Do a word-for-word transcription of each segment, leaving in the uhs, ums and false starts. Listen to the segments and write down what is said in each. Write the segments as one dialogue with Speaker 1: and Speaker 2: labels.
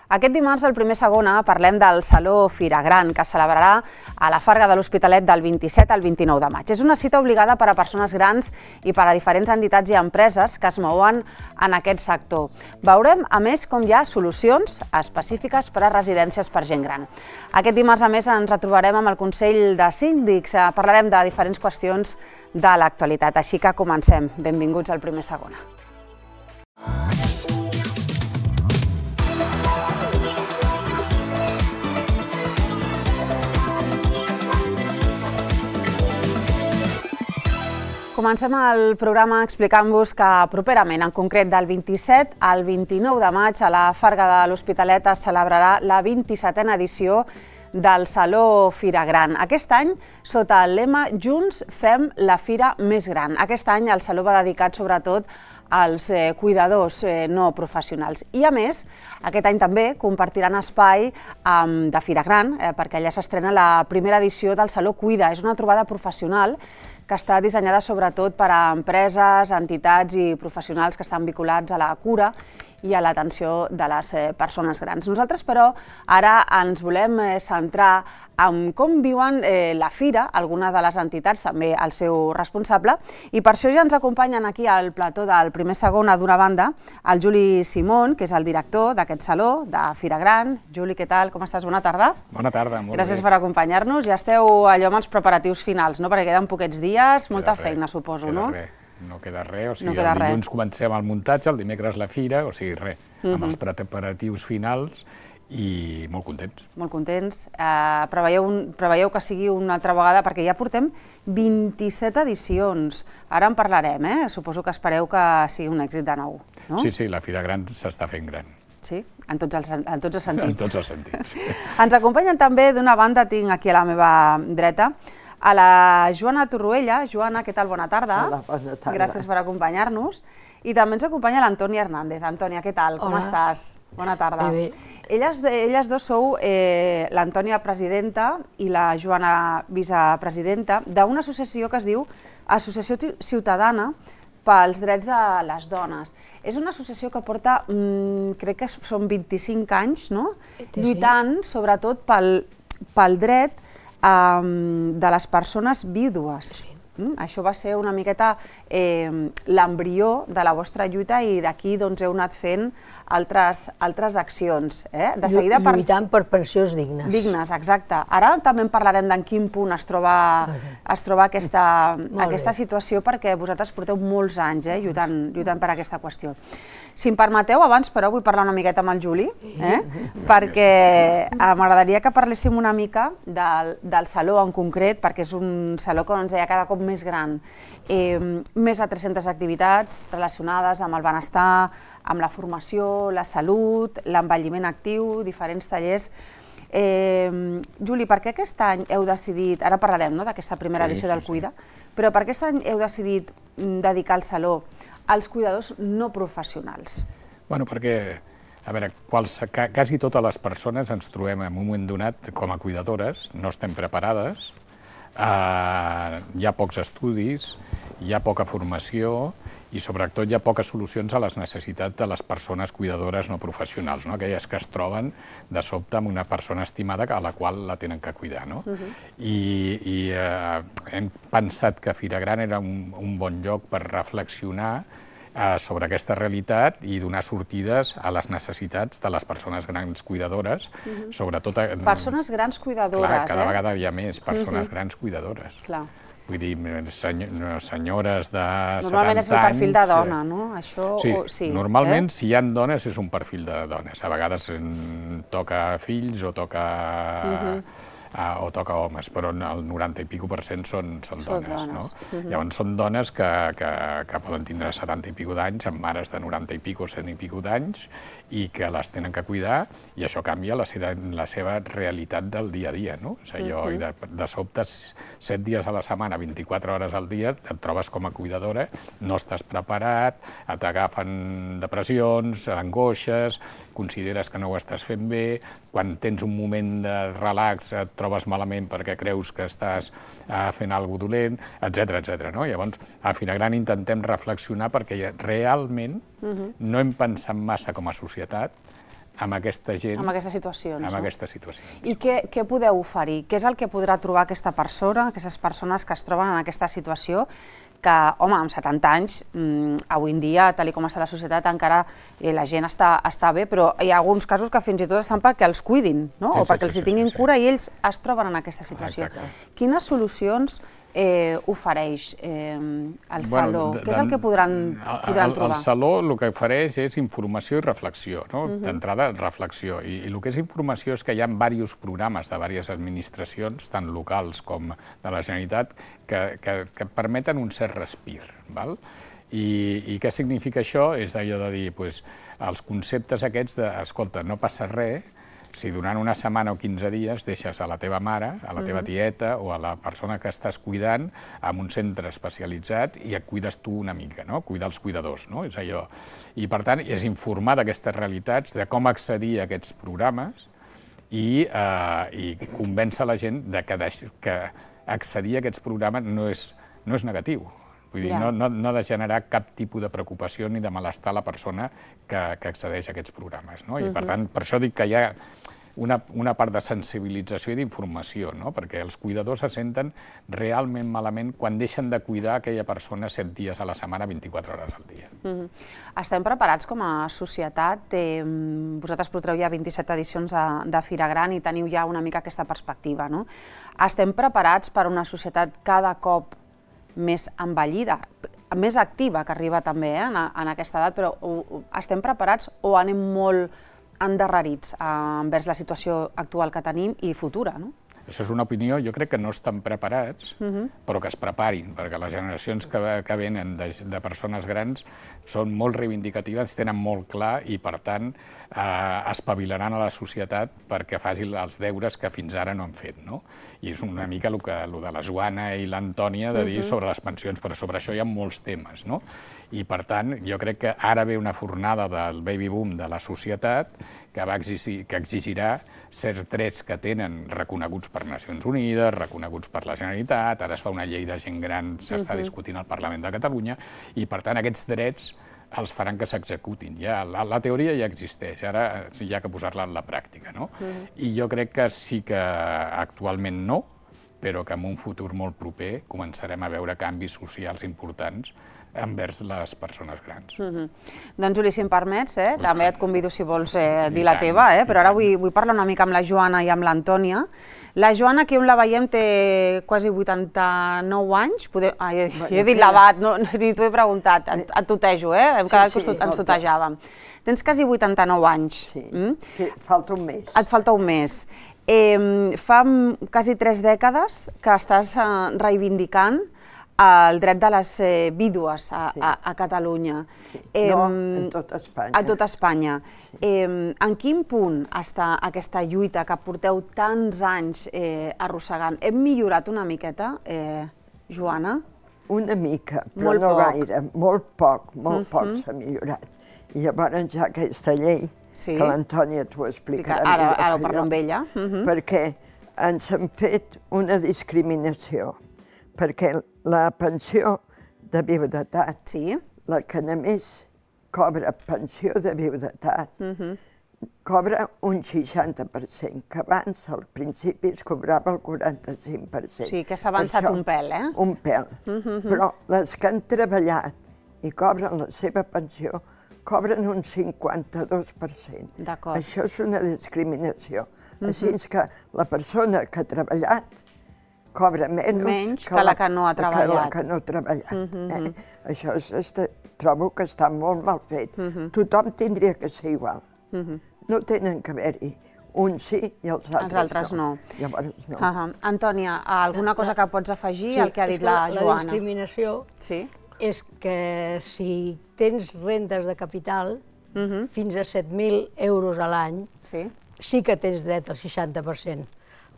Speaker 1: Aquest dimarts, al Primer Segona, parlem del Saló Fira Gran, que es celebrarà a la Farga de l'Hospitalet del vint-i-set al vint-i-nou de maig. És una cita obligada per a persones grans i per a diferents entitats i empreses que es mouen en aquest sector. Veurem, a més, com hi ha solucions específiques per a residències per gent gran. Aquest dimarts, a més, ens retrobarem amb el Consell de Síndics. Parlarem de diferents qüestions de l'actualitat. Així que comencem. Benvinguts al Primer Segona. Comencem el programa explicant-vos que properament, en concret del vint-i-set al vint-i-nou de maig, a la Farga de l'Hospitalet es celebrarà la vint-i-setena edició del Saló Fira Gran. Aquest any, sota el lema Junts fem la fira més gran. Aquest any el Saló va dedicat sobretot als cuidadors no professionals. I a més, aquest any també compartiran espai de Fira Gran, perquè allà s'estrena la primera edició del Saló Cuida. És una trobada professional que està dissenyada sobretot per a empreses, entitats i professionals que estan vinculats a la cura i a l'atenció de les persones grans. Nosaltres, però, ara ens volem centrar en com viuen la fira, algunes de les entitats, també el seu responsable, i per això ja ens acompanyen aquí al plató del Primer Segona, d'una banda, el Juli Simón, que és el director d'aquest saló, de Fira Gran. Juli, què tal? Com estàs? Bona tarda.
Speaker 2: Bona tarda, molt bé.
Speaker 1: Gràcies per acompanyar-nos. Ja esteu allò amb els preparatius finals, no? Perquè queden poquets dies, molta feina, suposo, no?
Speaker 2: Queda res. No queda res, o sigui, el dilluns comencem el muntatge, el dimecres la fira, o sigui, res, amb els preparatius finals i molt contents.
Speaker 1: Molt contents. Preveieu que sigui una altra vegada, perquè ja portem vint-i-set edicions. Ara en parlarem, eh? Suposo que espereu que sigui un èxit de nou, no?
Speaker 2: Sí, sí, la Fira Gran s'està fent gran.
Speaker 1: Sí? En tots els sentits.
Speaker 2: En tots els sentits.
Speaker 1: Ens acompanyen també, d'una banda, tinc aquí a la meva dreta, a la Joana Torroella. Joana, què tal? Bona tarda.
Speaker 3: Hola, bona tarda.
Speaker 1: Gràcies per acompanyar-nos. I també ens acompanya l'Antònia Hernández. Antònia, què tal? Com estàs? Bona tarda.
Speaker 3: Bé, bé.
Speaker 1: Elles, elles dos sou eh, l'Antònia presidenta i la Joana vicepresidenta d'una associació que es diu Associació Ciutadana pels Drets de les Dones. És una associació que porta, mmm, crec que són vint-i-cinc anys, no? Lluitant sobretot pel, pel dret de les persones vídues. Això va ser una miqueta l'embrió de la vostra lluita i d'aquí heu anat fent altres accions.
Speaker 3: Lluitant per pensions dignes.
Speaker 1: Dignes, exacte. Ara també en parlarem d'en quin punt es troba aquesta situació, perquè vosaltres porteu molts anys lluitant per aquesta qüestió. Si em permeteu, abans però vull parlar una miqueta amb el Juli, perquè m'agradaria que parléssim una mica del saló en concret, perquè és un saló que ens deia cada cop més gran. Més de tres-centes activitats relacionades amb el benestar, amb la formació, la salut, l'envelliment actiu, diferents tallers. Juli, per què aquest any heu decidit, ara parlarem d'aquesta primera edició del Cuida, però per què aquest any heu decidit dedicar el saló als cuidadors no professionals?
Speaker 2: Bueno, perquè, a veure, quasi totes les persones ens trobem en un moment donat com a cuidadores, no estem preparades, hi ha pocs estudis, hi ha poca formació i sobretot hi ha poques solucions a les necessitats de les persones cuidadores no professionals, aquelles que es troben de sobte amb una persona estimada a la qual la tenen que cuidar. I hem pensat que Fira Gran era un bon lloc per reflexionar sobre aquesta realitat i donar sortides a les necessitats de les persones grans cuidadores, sobretot...
Speaker 1: Persones grans cuidadores, eh?
Speaker 2: Clar, cada vegada hi ha més persones grans cuidadores.
Speaker 1: Clar.
Speaker 2: Vull dir, senyores de setanta anys...
Speaker 1: Normalment és el perfil de dona, no?
Speaker 2: Sí, normalment si hi ha dones és un perfil de dones. A vegades toca fills o toca... o toca homes, però el noranta i pico per cent són dones, no? Llavors són dones que poden tindre setanta i pico d'anys, amb mares de noranta i pico, cent i pico d'anys, i que les tenen que cuidar, i això canvia la seva realitat del dia a dia, no? És allò, i de sobte, set dies a la setmana, vint-i-quatre hores al dia, et trobes com a cuidadora, no estàs preparat, t'agafen depressions, angoixes, consideres que no ho estàs fent bé, quan tens un moment de relax et trobes malament perquè creus que estàs fent alguna cosa dolent, etcètera, etcètera. Llavors, a Fira Gran intentem reflexionar perquè realment no hem pensat massa com a societat amb aquesta gent...
Speaker 1: Amb aquestes situacions,
Speaker 2: amb
Speaker 1: no?
Speaker 2: aquestes situacions.
Speaker 1: I què, què podeu oferir? Què és el que podrà trobar aquesta persona, aquestes persones que es troben en aquesta situació, que, home, amb setanta anys, mmm, avui en dia, tal com està la societat, encara eh, la gent està, està bé, però hi ha alguns casos que fins i tot estan perquè els cuidin, no?
Speaker 2: Sí,
Speaker 1: o perquè
Speaker 2: sí,
Speaker 1: els hi
Speaker 2: sí,
Speaker 1: tinguin
Speaker 2: sí, sí.
Speaker 1: cura i ells es troben en aquesta situació.
Speaker 2: Exacte.
Speaker 1: Quines solucions eh, ofereix eh, el Saló?
Speaker 2: Bueno,
Speaker 1: Què és el que podran, podran
Speaker 2: el,
Speaker 1: trobar?
Speaker 2: El Saló el que ofereix és informació i reflexió, no? Uh-huh. D'entrada, reflexió. I, I el que és informació és que hi ha diversos programes de diverses administracions, tant locals com de la Generalitat, que, que, que permeten un cert respir. Val? I, I què significa això? És allò de dir, pues, els conceptes aquests de, escolta, no passa res, si durant una setmana o quinze dies deixes a la teva mare, a la teva tieta o a la persona que estàs cuidant en un centre especialitzat i et cuides tu una mica, no? Cuidar els cuidadors, no? És allò. I, per tant, és informar d'aquestes realitats, de com accedir a aquests programes i, eh, i convèncer la gent de que, de, que accedir a aquests programes no és, no és negatiu. Vull dir, no, no, no ha de generar cap tipus de preocupació ni de malestar a la persona que, que accedeix a aquests programes, no? I, per tant, per això dic que hi ha una, una part de sensibilització i d'informació, no? Perquè els cuidadors se senten realment malament quan deixen de cuidar aquella persona set dies a la setmana, vint-i-quatre hores al dia.
Speaker 1: Mm-hmm. Estem preparats com a societat? Eh, vosaltres porteu ja vint-i-set edicions de, de Fira Gran i teniu ja una mica aquesta perspectiva, no? Estem preparats per una societat cada cop més envellida, més activa, que arriba també eh, en, en aquesta edat, però o, o, estem preparats o anem molt endarrerits eh, envers la situació actual que tenim i futura, no?
Speaker 2: Això és una opinió, jo crec que no estan preparats, uh-huh. però que es preparin, perquè les generacions que, que venen de, de persones grans són molt reivindicatives, tenen molt clar i, per tant, eh, espavilaran a la societat perquè faci els deures que fins ara no han fet, no? I és una mica el, que, el de la Joana i l'Antònia de dir uh-huh. sobre les pensions, però sobre això hi ha molts temes, no? I, per tant, jo crec que ara ve una fornada del baby boom de la societat que, va exigir, que exigirà certs drets que tenen reconeguts per Nacions Unides, reconeguts per la Generalitat, ara es fa una llei de gent gran, s'està uh-huh. discutint al Parlament de Catalunya, i, per tant, aquests drets els faran que s'executin. Ja, la, la teoria ja existeix, ara hi ha que posar-la en la pràctica, no? Uh-huh. I jo crec que sí que actualment no, però que en un futur molt proper començarem a veure canvis socials importants envers les persones grans.
Speaker 1: Mm-hmm. Doncs, Juli, si em permets, eh, també et convido, si vols, eh, dir la teva, eh, però ara vull, vull parlar una mica amb la Joana i amb l'Antònia. La Joana, aquí on la veiem, té quasi vuitanta-nou anys. Poder... Ah, he, he dit l'edat, no, ni t'ho he preguntat, et, et tutejo, eh? Hem quedat que sí, ens tutejàvem. Tens quasi vuitanta-nou anys.
Speaker 4: Sí, mm? sí, falta un mes.
Speaker 1: Et falta un mes. Eh, fa quasi tres dècades que estàs eh, reivindicant el dret de les eh, vídues a, sí. a, a Catalunya.
Speaker 4: Sí. Eh, no, en tot Espanya.
Speaker 1: A tot Espanya.
Speaker 4: Sí.
Speaker 1: Eh, en quin punt està aquesta lluita que porteu tants anys eh, arrossegant? Hem millorat una miqueta, eh, Joana?
Speaker 4: Una mica, però
Speaker 1: molt
Speaker 4: no
Speaker 1: poc.
Speaker 4: gaire, molt poc, molt
Speaker 1: uh-huh.
Speaker 4: poc s'ha millorat. I llavors ja aquesta llei, sí. que l'Antònia t'ho explicarà
Speaker 1: ara,
Speaker 4: millor
Speaker 1: ara ho parlo amb ella. Uh-huh.
Speaker 4: Perquè ens han fet una discriminació, perquè la pensió de viudetat,
Speaker 1: sí.
Speaker 4: la que només cobra pensió de viudetat,
Speaker 1: uh-huh.
Speaker 4: cobra un seixanta per cent, que abans al principi es cobrava el quaranta-cinc per cent.
Speaker 1: Sí, que s'ha avançat un pèl, eh?
Speaker 4: Un pèl. Uh-huh. Però les que han treballat i cobren la seva pensió, cobren un cinquanta-dos per cent.
Speaker 1: D'acord.
Speaker 4: Això és una discriminació. Uh-huh. Així que la persona que ha treballat cobra menys,
Speaker 1: menys que, que la que no ha treballat.
Speaker 4: Que la que no ha treballat. Uh-huh. eh? Això és, este, trobo que està molt mal fet. Uh-huh. Tothom tindria que ser igual. Uh-huh. No tenen que haver-hi un sí i els altres,
Speaker 1: els altres no.
Speaker 4: no. Llavors no.
Speaker 1: Uh-huh. Antònia, alguna cosa que pots afegir
Speaker 3: sí,
Speaker 1: al que ha dit la, la
Speaker 3: Joana? La discriminació
Speaker 1: sí?
Speaker 3: és que si tens rendes de capital, uh-huh. fins a set mil euros a l'any,
Speaker 1: sí.
Speaker 3: sí que tens dret al seixanta per cent.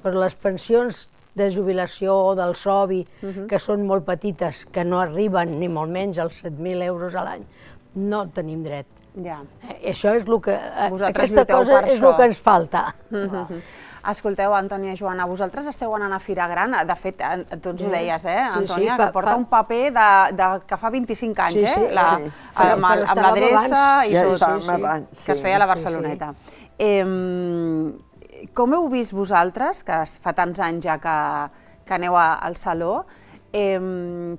Speaker 3: Però les pensions de jubilació o del S O B I, uh-huh. que són molt petites, que no arriben ni molt menys als set mil euros a l'any, no tenim dret.
Speaker 1: Ja.
Speaker 3: Eh, això és el que,
Speaker 1: Vosaltres
Speaker 3: aquesta cosa és el que ens falta.
Speaker 1: Uh-huh. Escolteu, Antònia i Joana, vosaltres esteu anant a Fira Gran, de fet, tu ens ho deies, eh,
Speaker 3: Sí, sí,
Speaker 1: Antònia,
Speaker 3: fa-
Speaker 1: que porta
Speaker 3: fa-
Speaker 1: un paper de, de, que fa vint-i-cinc anys,
Speaker 3: Sí,
Speaker 1: eh?
Speaker 3: sí,
Speaker 1: La,
Speaker 3: sí.
Speaker 1: amb,
Speaker 3: Sí,
Speaker 1: el-
Speaker 3: però
Speaker 1: amb
Speaker 3: estàvem
Speaker 1: l'adreça
Speaker 3: abans.
Speaker 1: i
Speaker 4: Ja
Speaker 1: tot,
Speaker 4: estàvem
Speaker 3: sí.
Speaker 4: abans,
Speaker 1: que es
Speaker 4: sí.
Speaker 1: feia a la
Speaker 3: sí, sí.
Speaker 1: Barceloneta. Eh, com heu vist vosaltres, que fa tants anys ja que, que aneu a, al Saló, eh,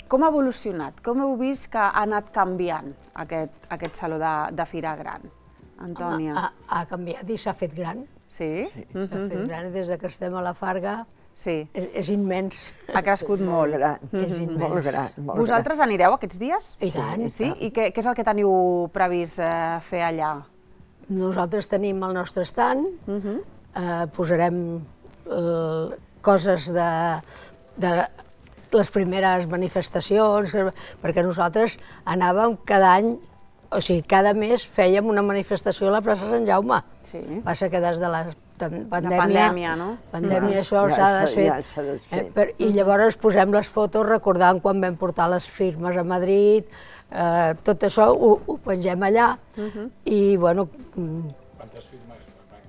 Speaker 1: com ha evolucionat? Com heu vist que ha anat canviant aquest, aquest Saló de, de Fira Gran? Antònia.
Speaker 3: Ha, ha canviat i s'ha fet gran.
Speaker 1: Sí?
Speaker 3: S'ha fet gran des de que estem a la Farga.
Speaker 1: Sí.
Speaker 3: És, és immens.
Speaker 1: Ha crescut
Speaker 4: Molt
Speaker 1: molt.
Speaker 4: gran,
Speaker 3: És immens.
Speaker 4: molt gran, molt
Speaker 1: Vosaltres anireu aquests dies?
Speaker 3: I tant.
Speaker 1: Sí? I què, què és el que teniu previst eh, fer allà?
Speaker 3: Nosaltres tenim el nostre stand, eh, posarem eh, coses de, de les primeres manifestacions, perquè nosaltres anàvem cada any, o sigui, cada mes fèiem una manifestació a la plaça Sant Jaume.
Speaker 1: Sí.
Speaker 3: Passa que des de la tam- pandèmia,
Speaker 1: pandèmia, no?
Speaker 3: pandèmia
Speaker 4: Ja,
Speaker 3: això
Speaker 4: ja
Speaker 3: s'ha
Speaker 4: s'ha-
Speaker 3: desfet.
Speaker 4: ja s'ha desfet.
Speaker 3: Eh, per, I llavors posem les fotos recordant quan vam portar les firmes a Madrid, eh, tot això ho, ho pengem allà i, bueno, mm,
Speaker 2: Quantes firmes?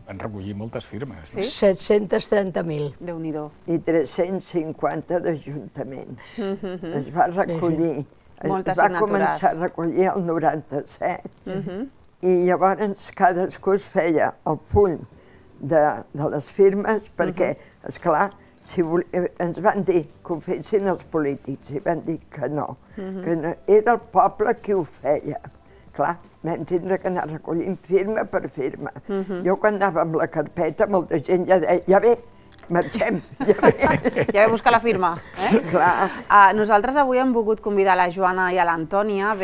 Speaker 2: Van recollir moltes firmes.
Speaker 1: Sí?
Speaker 3: set-cents trenta mil.
Speaker 1: Déu-n'hi-do.
Speaker 4: I tres-cents cinquanta d'ajuntaments. Es va recollir, es
Speaker 1: Moltes
Speaker 4: va
Speaker 1: signatures.
Speaker 4: començar a recollir el noranta-set i llavors cadascú es feia el full de, de les firmes perquè, esclar, si vol, ens van dir que ho fessin els polítics i van dir que no, que no, era el poble qui ho feia. Clar, vam tindre que anar recollint firma per firma. Jo quan anava amb la carpeta, molta gent ja deia, ja ve, marxem, ja ve.
Speaker 1: Ja ve buscar la firma. Eh?
Speaker 4: Clar.
Speaker 1: Uh, nosaltres avui hem volgut convidar la Joana i a l'Antònia,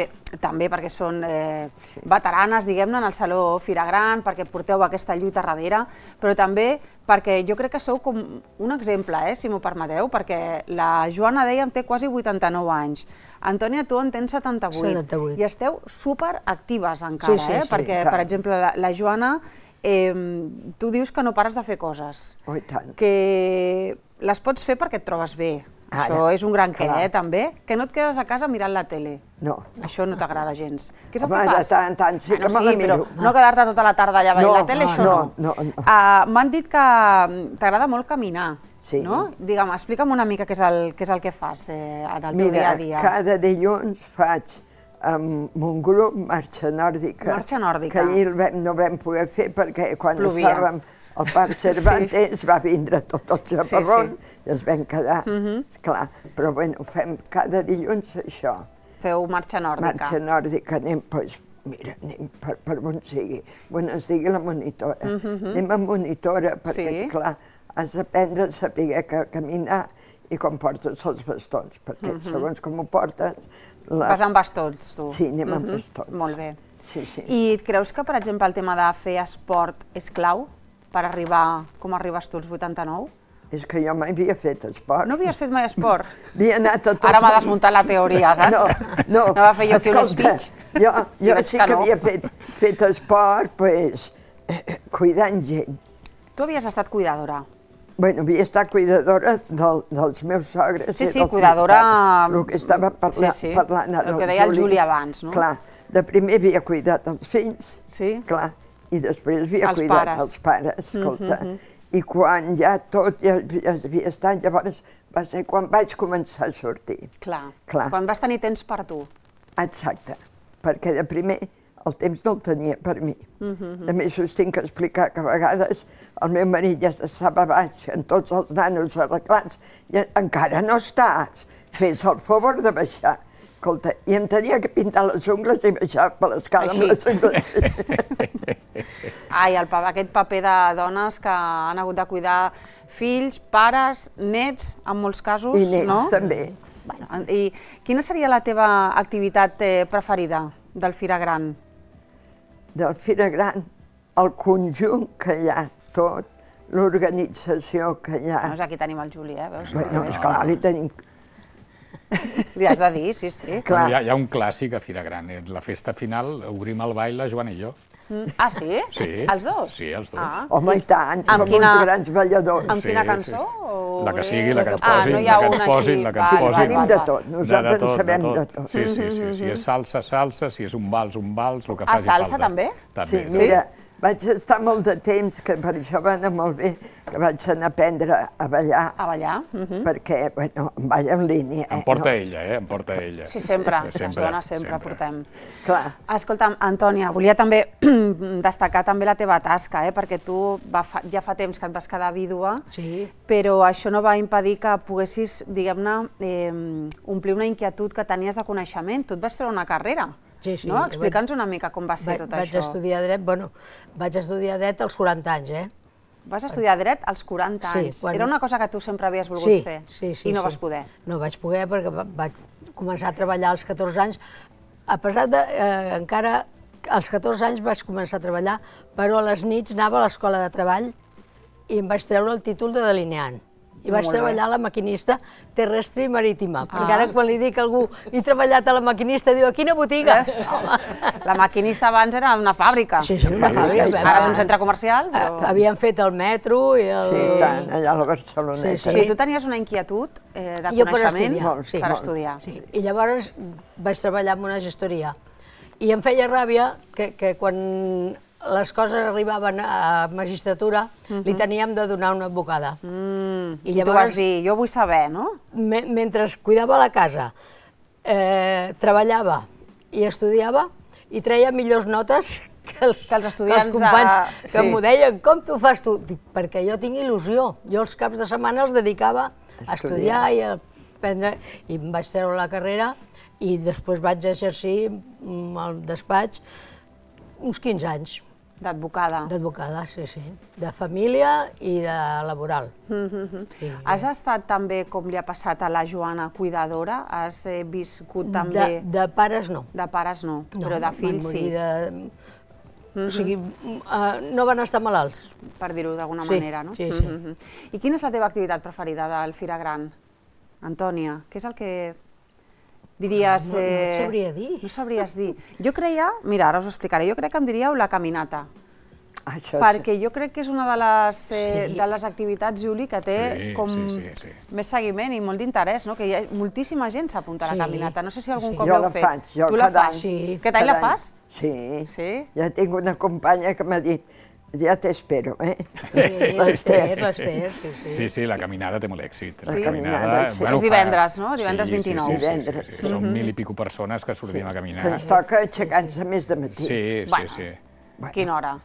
Speaker 1: també perquè són eh, veteranes, diguem-ne, en el Saló Fira Gran, perquè porteu aquesta lluita darrere, però també perquè jo crec que sou com un exemple, eh, si m'ho permeteu, perquè la Joana, dèiem, té quasi vuitanta-nou anys. Antònia, tu en tens setanta-vuit.
Speaker 3: setanta-vuit.
Speaker 1: I esteu superactives encara,
Speaker 3: Sí, sí,
Speaker 1: eh?
Speaker 3: sí,
Speaker 1: perquè,
Speaker 4: tant.
Speaker 1: per exemple, la, la Joana, eh, tu dius que no pares de fer coses.
Speaker 4: Oh, i tant.
Speaker 1: Que les pots fer perquè et trobes bé.
Speaker 4: Ara,
Speaker 1: Això és un gran què,
Speaker 4: clar.
Speaker 1: eh, també. Que no et quedes a casa mirant la tele.
Speaker 4: No.
Speaker 1: Això no t'agrada gens. Què és el
Speaker 4: Home,
Speaker 1: que
Speaker 4: de
Speaker 1: fas?
Speaker 4: tant en tant sí que
Speaker 1: Bueno,
Speaker 4: me la
Speaker 1: sí, però
Speaker 4: miro.
Speaker 1: no quedar-te tota la tarda allà veient
Speaker 4: No,
Speaker 1: la tele,
Speaker 4: no,
Speaker 1: això
Speaker 4: no,
Speaker 1: no.
Speaker 4: no, no.
Speaker 1: Uh, M'han dit que t'agrada molt caminar,
Speaker 4: Sí.
Speaker 1: no? Digue'm, explica'm una mica què és el, què és el que fas eh, en el teu dia
Speaker 4: Mira,
Speaker 1: a dia.
Speaker 4: cada dilluns faig amb un grup marxa nòrdica.
Speaker 1: Marxa nòrdica.
Speaker 4: Que ahir el vam, no vam poder fer perquè quan
Speaker 1: Plovia.
Speaker 4: estàvem al Parc Cervantes va vindre tot el xaparrón
Speaker 1: Sí,
Speaker 4: i es vam quedar. Esclar, però bueno, fem cada dilluns això.
Speaker 1: Feu marxa nòrdica.
Speaker 4: Marxa nòrdica, anem, doncs, mira, anem per, per on sigui, on es digui la monitora. Anem a monitora perquè,
Speaker 1: Sí.
Speaker 4: esclar, has d'aprendre a saber que caminar i com portes els bastons, perquè segons com ho portes... La...
Speaker 1: Vas amb bastons, tu.
Speaker 4: Sí, anem amb bastons.
Speaker 1: Molt bé.
Speaker 4: Sí, sí.
Speaker 1: I et creus que, per exemple, el tema de fer esport és clau per arribar com arribes tu als vuitanta-nou?
Speaker 4: És que jo mai havia fet esport.
Speaker 1: No havies fet mai esport?
Speaker 4: Havia anat a tots...
Speaker 1: Ara m'ha
Speaker 4: els-
Speaker 1: desmuntat la teoria, saps?
Speaker 4: No, no.
Speaker 1: Anava a fer jo aquí un
Speaker 4: Escolta,
Speaker 1: speech.
Speaker 4: Jo,
Speaker 1: I
Speaker 4: jo
Speaker 1: veig
Speaker 4: sí
Speaker 1: que
Speaker 4: que
Speaker 1: no.
Speaker 4: havia fet, fet esport, pues, eh, cuidant gent.
Speaker 1: Tu havies estat cuidadora.
Speaker 4: Bueno, havia estat cuidadora del, dels meus sogres.
Speaker 1: Sí,
Speaker 4: i
Speaker 1: sí,
Speaker 4: dels
Speaker 1: cuidadora-
Speaker 4: meus pares. El que estava parla,
Speaker 1: Sí, sí,
Speaker 4: parlant ara
Speaker 1: el que deia el Juli abans, no?
Speaker 4: Clar, de primer havia cuidat els fills,
Speaker 1: Sí?
Speaker 4: clar, i després havia
Speaker 1: Els
Speaker 4: cuidat
Speaker 1: pares.
Speaker 4: els pares, escolta. I quan ja tot ja, ja havia estat, llavors va ser quan vaig començar a sortir.
Speaker 1: Clar.
Speaker 4: Clar.
Speaker 1: Quan vas tenir temps per tu.
Speaker 4: Exacte, perquè de primer el temps no el tenia per mi. A més, us tinc que explicar que a vegades el meu marit ja estava baix amb tots els nanos arreglats i encara no estàs, fes el favor de baixar. Escolta, i em tenia que pintar les ungles i baixar per l'escala amb
Speaker 1: Així.
Speaker 4: les ungles.
Speaker 1: Ai, el, pa- aquest paper de dones que han hagut de cuidar fills, pares, nets, en molts casos,
Speaker 4: I nens
Speaker 1: no?
Speaker 4: també.
Speaker 1: Bueno, i quina seria la teva activitat eh, preferida del Fira Gran?
Speaker 4: Del Fira Gran, el conjunt que hi ha, tot, l'organització que hi ha.
Speaker 1: Doncs aquí tenim el Juli, eh? Veus?
Speaker 4: Bueno, esclar, li tenim...
Speaker 1: Li has de dir, sí, sí.
Speaker 4: Clar.
Speaker 2: Hi ha, hi ha un clàssic a Fira Gran, eh? La festa final, obrim el ball, la Joana i jo.
Speaker 1: Mm. Ah, sí?
Speaker 2: Sí.
Speaker 1: Els dos?
Speaker 2: Sí, els dos.
Speaker 1: Ah.
Speaker 4: Home, i tant,
Speaker 1: Amb
Speaker 4: som
Speaker 1: quina-
Speaker 4: uns grans balladors.
Speaker 1: Amb
Speaker 2: Sí,
Speaker 1: quina
Speaker 2: sí.
Speaker 1: cançó? O
Speaker 2: La que
Speaker 1: bé?
Speaker 2: sigui, la que ens
Speaker 1: Ah,
Speaker 2: posin,
Speaker 1: no hi ha
Speaker 2: la que ens
Speaker 1: una
Speaker 2: posin,
Speaker 1: així.
Speaker 2: la que ens
Speaker 1: Val,
Speaker 2: posin.
Speaker 1: val,
Speaker 4: Tenim
Speaker 1: val,
Speaker 4: de
Speaker 1: val.
Speaker 4: tot, nosaltres en sabem de tot.
Speaker 2: Sí, sí, sí. Si és salsa, salsa, si és un vals, un vals, el que
Speaker 1: Ah,
Speaker 2: faci
Speaker 1: salsa
Speaker 2: falta.
Speaker 1: també?
Speaker 2: També.
Speaker 4: Sí, mira, Vaig estar molt de temps, que per això va anar molt bé, que vaig anar a aprendre a ballar.
Speaker 1: A ballar?
Speaker 4: Uh-huh. Perquè, bueno, em balla en línia.
Speaker 2: Em porta no? ella, eh? Em porta ella.
Speaker 1: Sí, sempre. sempre les dones sempre, sempre portem.
Speaker 4: Clar.
Speaker 1: Escolta'm, Antònia, volia també destacar també la teva tasca, eh? Perquè tu va fa, ja fa temps que et vas quedar vídua,
Speaker 3: Sí.
Speaker 1: però això no va impedir que poguessis, diguem-ne, eh, omplir una inquietud que tenies de coneixement. Tu et vas treure una carrera.
Speaker 3: Sí, sí.
Speaker 1: No? Explica'ns una mica com va ser
Speaker 3: vaig,
Speaker 1: tot
Speaker 3: vaig
Speaker 1: això.
Speaker 3: Estudiar dret, bueno, vaig estudiar dret als quaranta anys, eh?
Speaker 1: Vas estudiar dret als quaranta
Speaker 3: Sí,
Speaker 1: anys.
Speaker 3: quan-
Speaker 1: Era una cosa que tu sempre havies volgut
Speaker 3: Sí,
Speaker 1: fer
Speaker 3: sí, sí,
Speaker 1: i no
Speaker 3: sí.
Speaker 1: vas poder.
Speaker 3: No vaig poder perquè va- vaig començar a treballar als catorze anys. A pesar de, eh, encara als catorze anys vaig començar a treballar, però a les nits anava a l'escola de treball i em vaig treure el títol de delineant. I vaig
Speaker 1: Molt bé.
Speaker 3: treballar a la maquinista terrestre i marítima,
Speaker 1: Ah.
Speaker 3: perquè ara quan li dic a algú he treballat a la maquinista, diu, a quina botiga? Home.
Speaker 1: La maquinista abans era una fàbrica.
Speaker 3: Sí, sí, una fàbrica.
Speaker 1: Ara és un centre comercial, però...
Speaker 3: Havien fet el metro i el...
Speaker 4: Sí, tant, allà a la Barceloneta.
Speaker 3: Sí,
Speaker 1: O sigui, tu tenies una inquietud eh, de
Speaker 3: Jo per
Speaker 1: coneixement
Speaker 3: estudiar,
Speaker 4: Molt,
Speaker 3: sí.
Speaker 1: per
Speaker 4: molt.
Speaker 1: estudiar.
Speaker 3: Sí. I llavors vaig treballar en una gestoria. I em feia ràbia que, que quan les coses arribaven a magistratura li teníem de donar una advocada.
Speaker 1: Mm,
Speaker 3: I
Speaker 1: I, tu
Speaker 3: llavors-
Speaker 1: vas dir, jo vull saber, no?
Speaker 3: Me, mentre cuidava la casa, eh, treballava i estudiava i treia millors notes que els,
Speaker 1: Que els estudiants
Speaker 3: que els companys
Speaker 1: de-
Speaker 3: que
Speaker 1: sí.
Speaker 3: m'ho deien, com t'ho fas tu? Dic, perquè jo tinc il·lusió. Jo els caps de setmana els dedicava a estudiar i a aprendre, i em vaig treure la carrera i després vaig exercir mm, al despatx uns quinze anys
Speaker 1: D'advocada.
Speaker 3: d'advocada, sí, sí, de família i de laboral. Sí.
Speaker 1: Has estat també, com li ha passat a la Joana, cuidadora? Has eh, viscut
Speaker 3: De,
Speaker 1: també...
Speaker 3: de pares no.
Speaker 1: De pares no,
Speaker 3: No,
Speaker 1: però de
Speaker 3: van
Speaker 1: fills
Speaker 3: morir
Speaker 1: sí,
Speaker 3: De... O sigui, uh, no van estar malalts.
Speaker 1: per dir-ho d'alguna
Speaker 3: Sí,
Speaker 1: manera, no?
Speaker 3: sí, sí.
Speaker 1: Mhm. I quina és la teva activitat preferida del Fira Gran? Antònia, què és el que diries...
Speaker 3: No, no et sabria dir.
Speaker 1: No sabries dir. Jo creia, mira, ara us ho explicaré, jo crec que em diríeu la caminata,
Speaker 4: Això,
Speaker 1: perquè jo crec que és una de les, eh,
Speaker 3: Sí.
Speaker 1: de les activitats, Juli, que té
Speaker 2: Sí,
Speaker 1: com
Speaker 2: sí, sí, sí.
Speaker 1: més seguiment i molt d'interès, no? Que hi ha moltíssima gent s'apunta a la
Speaker 3: Sí.
Speaker 1: caminata. No sé si algun
Speaker 3: Sí.
Speaker 1: cop
Speaker 4: Jo
Speaker 1: l'heu
Speaker 4: la
Speaker 1: fet.
Speaker 4: faig, jo
Speaker 1: tu la
Speaker 4: cada
Speaker 1: fas?
Speaker 4: any.
Speaker 3: Sí.
Speaker 1: Aquest any la
Speaker 4: Cada any.
Speaker 1: fas?
Speaker 4: Sí.
Speaker 1: Sí?
Speaker 4: Ja tinc una companya que m'ha dit, ja t'espero, eh?
Speaker 3: Sí, l'Ester, l'Ester, sí, sí.
Speaker 2: Sí, sí, la caminada té molt èxit.
Speaker 4: La caminada, sí.
Speaker 1: És
Speaker 2: fa-
Speaker 1: divendres, no? Divendres
Speaker 2: Sí, sí,
Speaker 1: vint-i-nou.
Speaker 2: Sí, sí, sí,
Speaker 4: Divendres.
Speaker 2: sí, sí. Som mil i pico persones que sortim a
Speaker 4: Que
Speaker 2: caminar.
Speaker 4: ens toca aixecar-nos més de matí.
Speaker 2: Sí, sí,
Speaker 1: Bueno.
Speaker 2: sí.
Speaker 4: Bueno,
Speaker 1: Quina hora?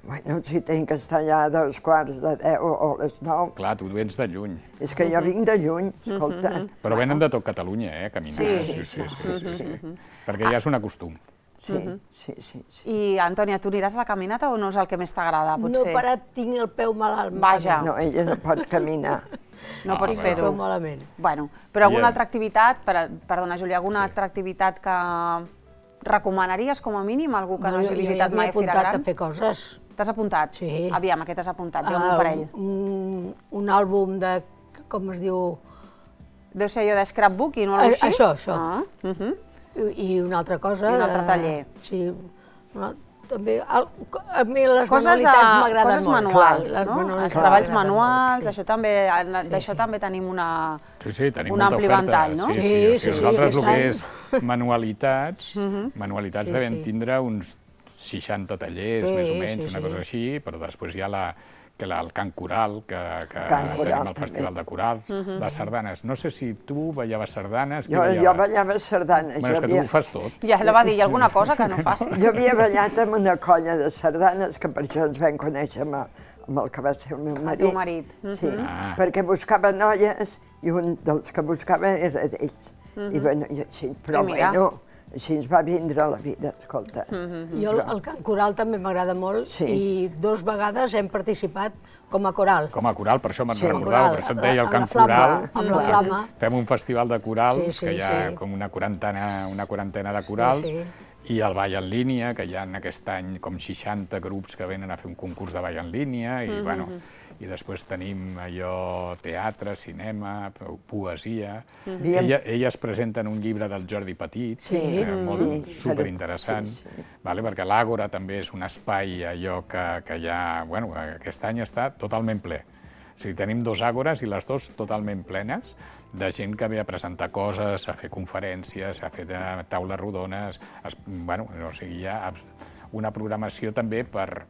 Speaker 4: Bueno, si tinc que estar allà a dos quarts de deu o a les nou.
Speaker 2: Clar, tu vens de lluny.
Speaker 4: És que jo vinc de lluny, escolta.
Speaker 2: Però venen de tot Catalunya, eh, a caminar.
Speaker 1: Sí.
Speaker 2: Sí, sí, sí, sí, sí. Perquè ja és un acostum.
Speaker 4: Sí, sí, sí, sí.
Speaker 1: I, Antònia, tu aniràs a la caminata o no és el que més t'agrada,
Speaker 3: No
Speaker 1: potser?
Speaker 3: he parat, tinc el peu malalt.
Speaker 1: Vaja.
Speaker 4: No, ella no pot caminar.
Speaker 1: No
Speaker 2: Ah,
Speaker 1: pots
Speaker 2: bueno.
Speaker 3: El peu
Speaker 1: fer-ho.
Speaker 3: malament.
Speaker 1: Bueno, però alguna
Speaker 2: I,
Speaker 1: altra activitat, per, perdona, Júlia, alguna altra activitat que recomanaries com a mínim, algú que no, hagi
Speaker 3: jo- jo
Speaker 1: visitat
Speaker 3: ja
Speaker 1: mai
Speaker 3: m'he
Speaker 1: Fira
Speaker 3: apuntat
Speaker 1: Gran?
Speaker 3: a fer coses.
Speaker 1: T'has apuntat?
Speaker 3: Sí.
Speaker 1: Aviam, a què t'has apuntat? Jo
Speaker 3: Ah,
Speaker 1: un parell.
Speaker 3: un, un àlbum de, com es diu,
Speaker 1: Deu ser allò de scrapbooking o alguna
Speaker 3: Eh,
Speaker 1: cosa així?
Speaker 3: això, això.
Speaker 1: Ah, uh -huh.
Speaker 3: i, i una altra cosa.
Speaker 1: I un altre
Speaker 3: de-
Speaker 1: taller.
Speaker 3: Sí, una, també, al- a mi les
Speaker 1: Coses, de,
Speaker 3: manualitats m'agraden
Speaker 1: coses
Speaker 3: molt.
Speaker 1: manuals,
Speaker 3: Les
Speaker 1: no?
Speaker 3: manualitats
Speaker 1: Els treballs
Speaker 3: m'agraden
Speaker 1: manuals,
Speaker 3: molt, sí.
Speaker 1: això també, d'això
Speaker 3: sí.
Speaker 1: també tenim una...
Speaker 2: Sí, sí, tenim
Speaker 1: Un
Speaker 2: molta
Speaker 1: ampli
Speaker 2: oferta.
Speaker 1: ventall, no?
Speaker 2: Sí, sí,
Speaker 3: Sí,
Speaker 2: sí, o
Speaker 3: sí,
Speaker 2: sigui,
Speaker 3: sí,
Speaker 2: nosaltres
Speaker 3: aquest
Speaker 2: el que
Speaker 3: any.
Speaker 2: és manualitats, manualitats
Speaker 3: Sí,
Speaker 2: devem
Speaker 3: sí.
Speaker 2: tindre uns seixanta tallers,
Speaker 3: Sí,
Speaker 2: més o menys,
Speaker 3: sí,
Speaker 2: una
Speaker 3: sí.
Speaker 2: cosa així, però després hi ha la, que la, el cant coral, que, que
Speaker 4: Cant coral,
Speaker 2: tenim el
Speaker 4: també.
Speaker 2: Festival de Corals, les sardanes. No sé si tu ballaves sardanes, qui
Speaker 4: Jo, jo
Speaker 2: ballava?
Speaker 4: ballava sardanes.
Speaker 2: Bueno, és
Speaker 4: jo,
Speaker 2: que tu
Speaker 4: havia,
Speaker 2: ho fas tot.
Speaker 1: Ja la va dir, hi ha alguna cosa que no faci?
Speaker 4: jo havia ballat amb una colla de sardanes, que per això ens vam conèixer amb, amb el que va ser el meu marit.
Speaker 1: teu marit.
Speaker 4: Sí,
Speaker 2: Ah.
Speaker 4: perquè buscava noies i un dels que buscava era d'ells. I bueno, i així, però
Speaker 1: I mira.
Speaker 4: bueno, així ens va vindre la vida, escolta.
Speaker 3: Jo el, el cant coral també m'agrada molt
Speaker 4: Sí.
Speaker 3: i dos vegades hem participat com a coral.
Speaker 2: Com a coral, per això me'n
Speaker 4: Sí.
Speaker 2: recordava, per això et deia el
Speaker 3: Amb
Speaker 2: cant
Speaker 3: la flama,
Speaker 2: coral.
Speaker 3: amb la flama.
Speaker 2: Fem un festival de corals,
Speaker 3: Sí, sí,
Speaker 2: que hi ha
Speaker 3: sí.
Speaker 2: com una quarantena, una quarantena de corals,
Speaker 3: sí.
Speaker 2: i el ball en línia, que hi ha aquest any com seixanta grups que venen a fer un concurs de ball en línia, i, bueno, i després tenim allò teatre, cinema, poesia.
Speaker 4: Havíem-
Speaker 2: Ella, elles presenten un llibre del Jordi Petit,
Speaker 3: Sí.
Speaker 2: eh, molt
Speaker 4: Sí,
Speaker 2: superinteressant,
Speaker 4: sí, sí.
Speaker 2: vale? Perquè l'Àgora també és un espai allò que, que ja, bueno, aquest any està totalment ple. O sigui, tenim dos àgores i les dues totalment plenes de gent que ve a presentar coses, a fer conferències, a fer de taules rodones, es, bueno, o sigui, hi ha una programació també per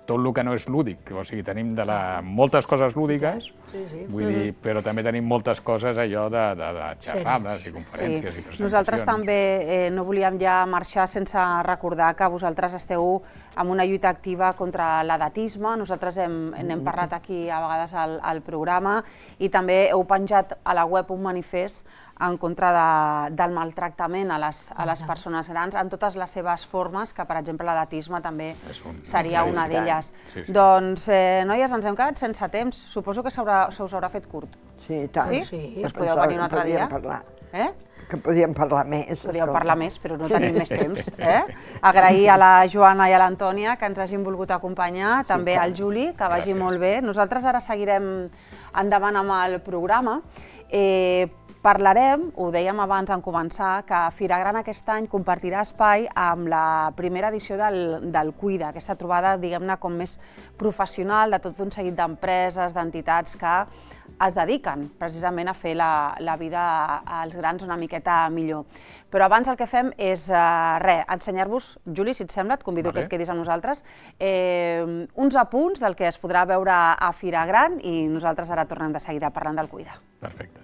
Speaker 2: tot el que no és lúdic, o sigui, tenim de la, moltes coses lúdiques,
Speaker 3: Sí, sí.
Speaker 2: vull dir, però també tenim moltes coses allò de, de, de xerrades i conferències i presentacions.
Speaker 1: Nosaltres també eh, no volíem ja marxar sense recordar que vosaltres esteu en una lluita activa contra l'edatisme. Nosaltres hem, n'hem parlat aquí a vegades al, al programa i també heu penjat a la web un manifest en contra de, del maltractament a les, a les persones grans en totes les seves formes, que per exemple l'edatisme també
Speaker 2: un,
Speaker 1: seria una d'elles.
Speaker 2: Sí, sí.
Speaker 1: Doncs, eh, noies, ens hem quedat sense temps. Suposo que se us haurà fet curt.
Speaker 4: Sí, i tant.
Speaker 1: Sí?
Speaker 3: Sí.
Speaker 1: Us podeu venir un altre dia?
Speaker 4: Parlar.
Speaker 1: Eh?
Speaker 4: Que podíem parlar més.
Speaker 1: Podríem parlar més, però no tenim més temps. Eh? Agrair a la Joana i a l'Antònia que ens hagin volgut acompanyar, sí, també al Juli, que vagi
Speaker 2: Gràcies.
Speaker 1: molt bé. Nosaltres ara seguirem endavant amb el programa. Eh, Parlarem, ho dèiem abans en començar, que Fira Gran aquest any compartirà espai amb la primera edició del, del Cuida, aquesta trobada, diguem-ne, com més professional de tot un seguit d'empreses, d'entitats que es dediquen precisament a fer la, la vida als grans una miqueta millor. Però abans el que fem és, eh, res, ensenyar-vos, Juli, si et sembla, et convido
Speaker 2: vale.
Speaker 1: que et quedis amb nosaltres, eh, uns apunts del que es podrà veure a Fira Gran i nosaltres ara tornem de seguida parlant del Cuida.
Speaker 2: Perfecte.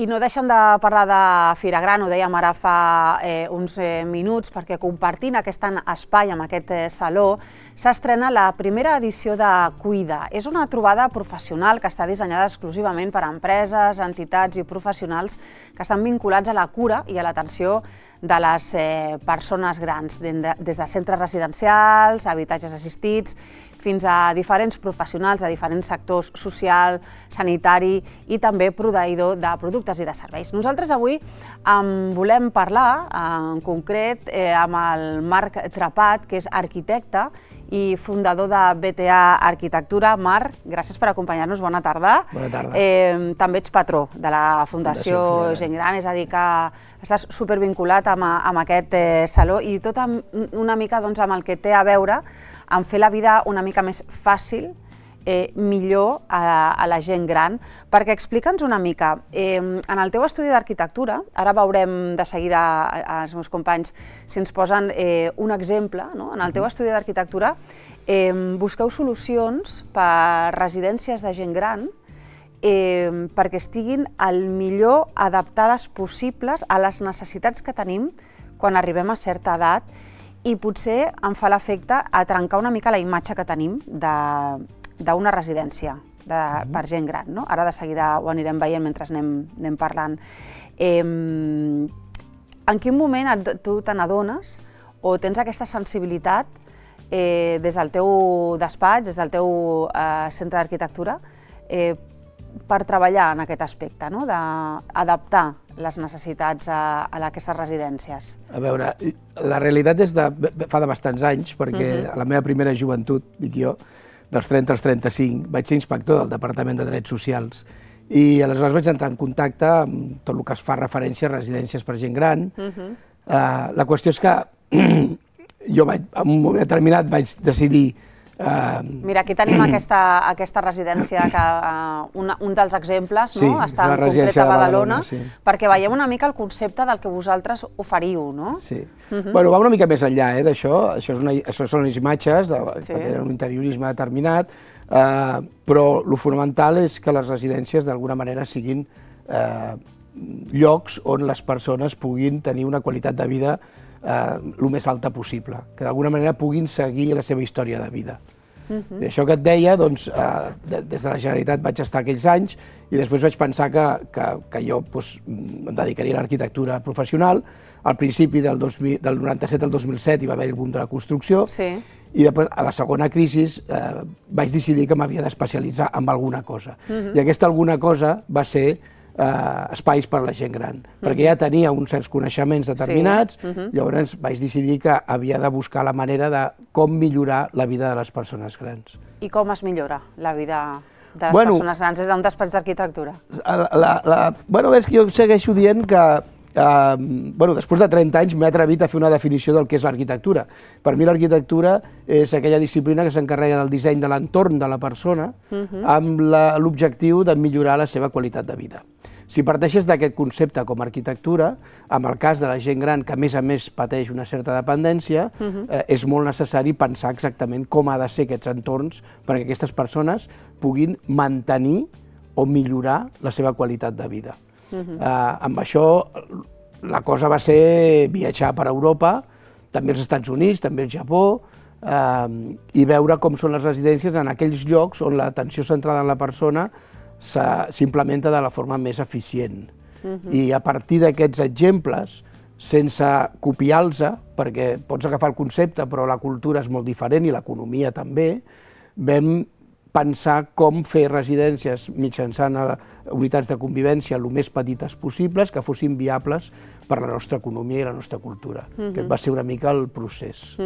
Speaker 1: I no deixem de parlar de Fira Gran, ho dèiem ara fa eh, uns eh, minuts, perquè compartint aquest espai amb aquest eh, saló s'estrena la primera edició de Cuida. És una trobada professional que està dissenyada exclusivament per a empreses, entitats i professionals que estan vinculats a la cura i a l'atenció de les eh, persones grans, des de centres residencials, habitatges assistits, fins a diferents professionals de diferents sectors social, sanitari i també proveïdor de productes i de serveis. Nosaltres avui en volem parlar en concret eh, amb el Marc Trepat, que és arquitecte i fundador de B T A Arquitectura. Marc, gràcies per acompanyar-nos, bona tarda.
Speaker 5: Bona tarda.
Speaker 1: Eh, també ets patró de la Fundació,
Speaker 5: Fundació
Speaker 1: Gent Gran, és a dir que estàs supervinculat amb, amb aquest eh, saló i tot amb, una mica doncs, amb el que té a veure en fer la vida una mica més fàcil, eh, millor a, a la gent gran. Perquè explica'ns una mica, eh, en el teu estudi d'arquitectura, ara veurem de seguida als meus companys si ens posen eh, un exemple, no? En el teu estudi d'arquitectura eh, busqueu solucions per residències de gent gran eh, perquè estiguin el millor adaptades possibles a les necessitats que tenim quan arribem a certa edat i potser em fa l'efecte a trencar una mica la imatge que tenim d'una residència per gent gran, no? Ara de seguida ho anirem veient mentre anem parlant. En quin moment tu te n'adones o tens aquesta sensibilitat des del teu despatx, des del teu centre d'arquitectura, per treballar en aquest aspecte, d'adaptar les necessitats a aquestes residències?
Speaker 5: A veure, la realitat és de fa de bastants anys, perquè a la meva primera joventut, dic jo, dels trenta als trenta-cinc, vaig ser inspector del Departament de Drets Socials i aleshores vaig entrar en contacte amb tot el que es fa referència a residències per gent gran. La qüestió és que jo en un moment determinat vaig decidir...
Speaker 1: Mira, aquí tenim aquesta residència, un dels exemples està en concret a Badalona, perquè veiem una mica el concepte del que vosaltres oferiu, no?
Speaker 5: Sí. Bueno, va una mica més enllà d'això, això són les imatges que tenen un interiorisme determinat, però el fonamental és que les residències d'alguna manera siguin llocs on les persones puguin tenir una qualitat de vida el més alta possible, que d'alguna manera puguin seguir la seva història de vida. I això que et deia, doncs, des de la Generalitat vaig estar aquells anys i després vaig pensar que jo em dedicaria a l'arquitectura professional. Al principi del noranta-set al dos mil set hi va haver el boom de la construcció i després, a la segona crisi, vaig decidir que m'havia d'especialitzar en alguna cosa. I aquesta alguna cosa va ser espais per a la gent gran, perquè ja tenia uns certs coneixements determinats, llavors vaig decidir que havia de buscar la manera de com millorar la vida de les persones grans.
Speaker 1: I com es millora la vida de les persones grans des d'un despatx d'arquitectura?
Speaker 5: Bé, és que jo segueixo dient que després de trenta anys m'he atrevit a fer una definició del que és l'arquitectura. Per mi l'arquitectura és aquella disciplina que s'encarrega del disseny de l'entorn de la persona amb l'objectiu de millorar la seva qualitat de vida. Si parteixes d'aquest concepte com a arquitectura, en el cas de la gent gran que a més a més pateix una certa dependència, és molt necessari pensar exactament com ha de ser aquests entorns perquè aquestes persones puguin mantenir o millorar la seva qualitat de vida. Amb això la cosa va ser viatjar per Europa, també als Estats Units, també al Japó, i veure com són les residències en aquells llocs on l'atenció centrada en la persona s'implementa de la forma més eficient. I a partir d'aquests exemples, sense copiar-los, perquè pots agafar el concepte però la cultura és molt diferent i l'economia també, vam pensar com fer residències mitjançant unitats de convivència el més petites possibles, que fossin viables per la nostra economia i la nostra cultura. Aquest va ser una mica el procés.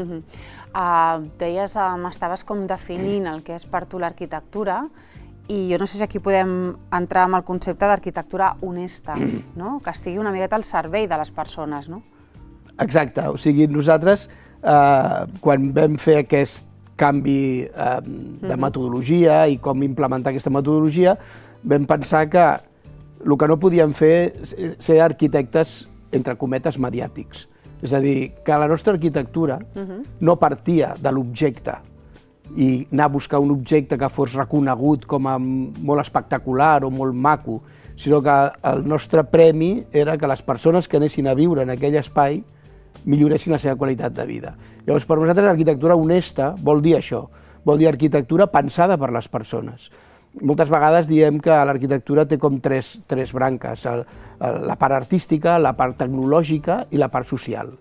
Speaker 1: Deies, m'estaves com definint el que és per tu l'arquitectura, i jo no sé si aquí podem entrar amb el concepte d'arquitectura honesta, que estigui una miqueta al servei de les persones, no?
Speaker 5: Exacte, o sigui, nosaltres, quan vam fer aquest canvi de metodologia i com implementar aquesta metodologia, vam pensar que el que no podíem fer és ser arquitectes, entre cometes, mediàtics. És a dir, que la nostra arquitectura no partia de l'objecte i anar a buscar un objecte que fos reconegut com a molt espectacular o molt maco, sinó que el nostre premi era que les persones que anessin a viure en aquell espai milloressin la seva qualitat de vida. Llavors, per nosaltres, l'arquitectura honesta vol dir això, vol dir arquitectura pensada per les persones. Moltes vegades diem que l'arquitectura té com tres branques, la part artística, la part tecnològica i la part social.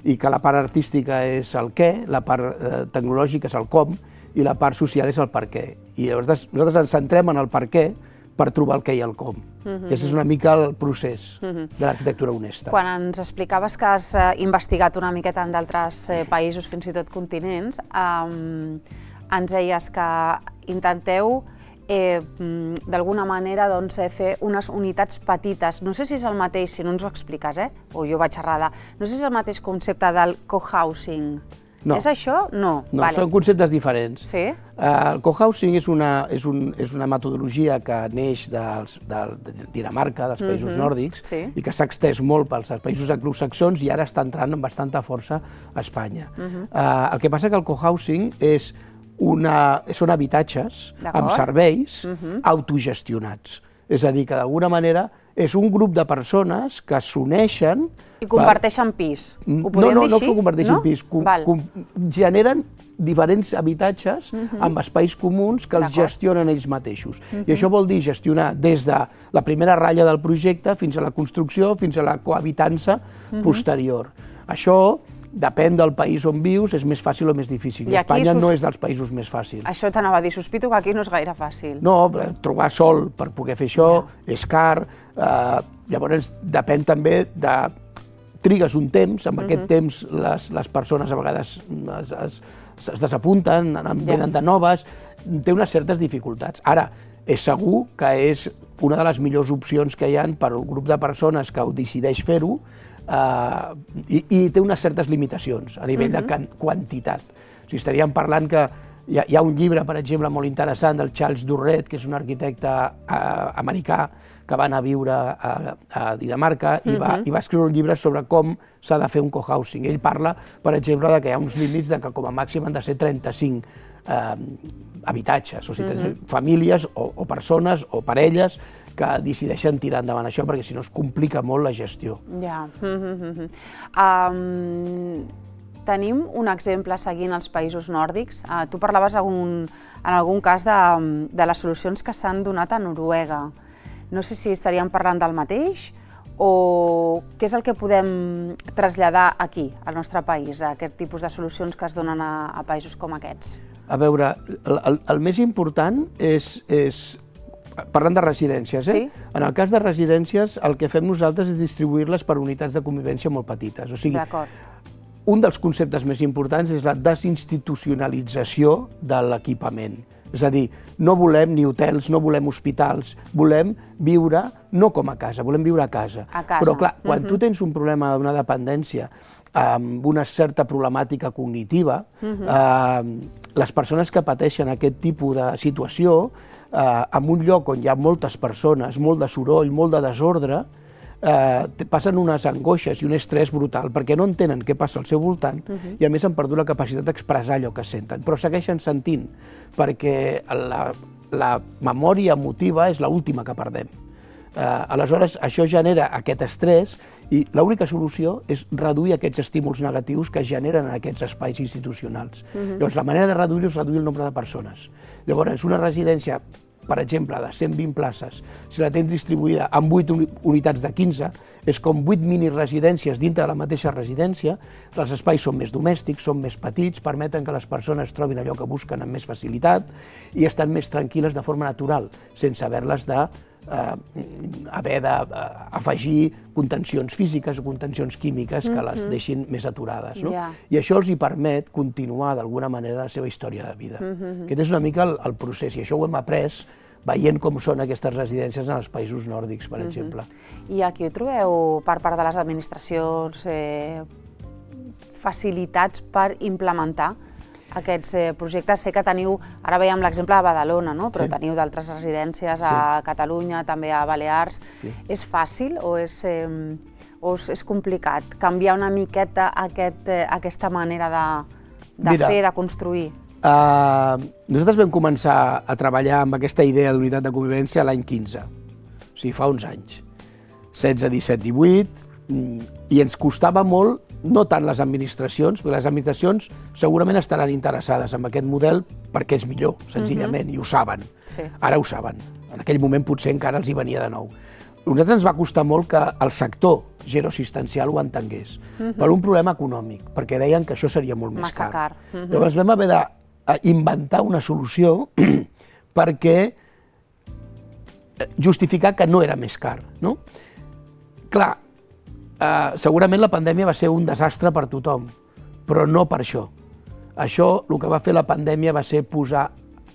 Speaker 5: I que la part artística és el què, la part tecnològica és el com i la part social és el per què. I llavors nosaltres ens centrem en el per què per trobar el què i el com. Aquest és una mica el procés de l'arquitectura honesta.
Speaker 1: Quan ens explicaves que has investigat una miqueta en d'altres països, fins i tot continents, ens deies que intenteu d'alguna manera fer unes unitats petites. No sé si és el mateix, si no ens ho expliques, o jo vaig errada, no sé si és el mateix concepte del cohousing. És això? No.
Speaker 5: No, són conceptes diferents.
Speaker 1: Sí?
Speaker 5: El cohousing és una metodologia que neix de Dinamarca, dels països nòrdics, i que s'ha extès molt pels països anglosaxons i ara està entrant amb bastanta força a Espanya. El que passa que el cohousing són habitatges amb serveis autogestionats. És a dir, que d'alguna manera És un grup de persones que s'uneixen...
Speaker 1: I comparteixen pis. Ho podríem
Speaker 5: no, no,
Speaker 1: dir
Speaker 5: no
Speaker 1: així?
Speaker 5: No, no comparteixen
Speaker 1: no?
Speaker 5: pis. Com, com, generen diferents habitatges uh-huh. amb espais comuns que els gestionen ells mateixos. Uh-huh. I això vol dir gestionar des de la primera ratlla del projecte fins a la construcció, fins a la cohabitança uh-huh. posterior. Això depèn del país on vius, és més fàcil o més difícil. I Espanya sos... no és dels països més fàcils.
Speaker 1: Això t'anava a dir, sospito que aquí no és gaire fàcil.
Speaker 5: No, trobar sol per poder fer això ja. és car. Eh, llavors depèn també de... Trigues un temps, amb uh-huh. aquest temps les, les persones a vegades es, es, es desapunten, venen ja. de noves, té unes certes dificultats. Ara, és segur que és una de les millors opcions que hi ha per al grup de persones que ho decideix fer-ho, Uh, i, i té unes certes limitacions a nivell uh-huh. de can, quantitat. O sigui, estaríem parlant que hi ha, hi ha un llibre, per exemple, molt interessant del Charles Durret, que és un arquitecte uh, americà que va anar a viure a, a Dinamarca i, uh-huh. va, i va escriure un llibre sobre com s'ha de fer un cohousing. Ell parla, per exemple, de que hi ha uns límits de que com a màxim han de ser trenta-cinc uh, habitatges, o sigui, uh-huh. famílies o, o persones o parelles que decideixen tirar endavant això, perquè si no es complica molt la gestió.
Speaker 1: Ja. Mm-hmm. um, tenim un exemple seguint els països nòrdics. Uh, tu parlaves un, en algun cas de, de les solucions que s'han donat a Noruega. No sé si estaríem parlant del mateix o què és el que podem traslladar aquí, al nostre país, a aquest tipus de solucions que es donen a, a països com aquests.
Speaker 5: A veure, el, el, el més important és... és parlant de residències, eh? Sí? En el cas de residències, el que fem nosaltres és distribuir-les per unitats de convivència molt petites. O sigui, un dels conceptes més importants és la desinstitucionalització de l'equipament. És a dir, no volem ni hotels, no volem hospitals, volem viure no com a casa, volem viure a casa.
Speaker 1: A casa.
Speaker 5: Però clar, quan uh-huh. tu tens un problema d'una dependència amb una certa problemàtica cognitiva, uh-huh. eh, les persones que pateixen aquest tipus de situació, eh, en un lloc on hi ha moltes persones, molt de soroll, molt de desordre, eh, passen unes angoixes i un estrès brutal perquè no entenen què passa al seu voltant uh-huh. i a més han perdut la capacitat d'expressar allò que senten, però segueixen sentint perquè la, la memòria emotiva és l'última que perdem. Eh, aleshores, això genera aquest estrès i l'única solució és reduir aquests estímuls negatius que es generen en aquests espais institucionals. Uh-huh. Llavors, la manera de reduir-ho és reduir el nombre de persones. Llavors, una residència, per exemple, de cent vint places, si la tens distribuïda en vuit unitats de quinze, és com vuit mini-residències dintre de la mateixa residència, els espais són més domèstics, són més petits, permeten que les persones trobin allò que busquen amb més facilitat i estan més tranquil·les de forma natural, sense haver-les de Uh, haver d'afegir contencions físiques o contencions químiques que les deixin més aturades. No? Yeah. I això els hi permet continuar d'alguna manera la seva història de vida. Mm-hmm. Aquest és una mica el, el procés, i això ho hem après veient com són aquestes residències en els països nòrdics, per mm-hmm. exemple.
Speaker 1: I aquí ho trobeu per part de les administracions eh, facilitats per implementar aquests eh, projectes? Sé que teniu, ara veiem l'exemple de Badalona, no? Però sí. teniu d'altres residències a sí. Catalunya, també a Balears. Sí. És fàcil o és, eh, o és complicat canviar una miqueta aquest, eh, aquesta manera de, de Mira, fer, de construir?
Speaker 5: Uh, nosaltres vam començar a treballar amb aquesta idea d'unitat de convivència l'any quinze, o sigui, fa uns anys. setze, disset, divuit, i ens costava molt, no tant les administracions, perquè les administracions segurament estaran interessades en aquest model perquè és millor, senzillament, uh-huh. i ho saben. Sí. Ara ho saben. En aquell moment potser encara els hi venia de nou. A nosaltres ens va costar molt que el sector geroassistencial ho entengués, uh-huh. per un problema econòmic, perquè deien que això seria molt més
Speaker 1: Massa
Speaker 5: car.
Speaker 1: car. Uh-huh.
Speaker 5: Llavors vam haver d'inventar una solució perquè justificar que no era més car. No? Clar, Uh, segurament la pandèmia va ser un desastre per tothom, però no per això. Això, el que va fer la pandèmia va ser posar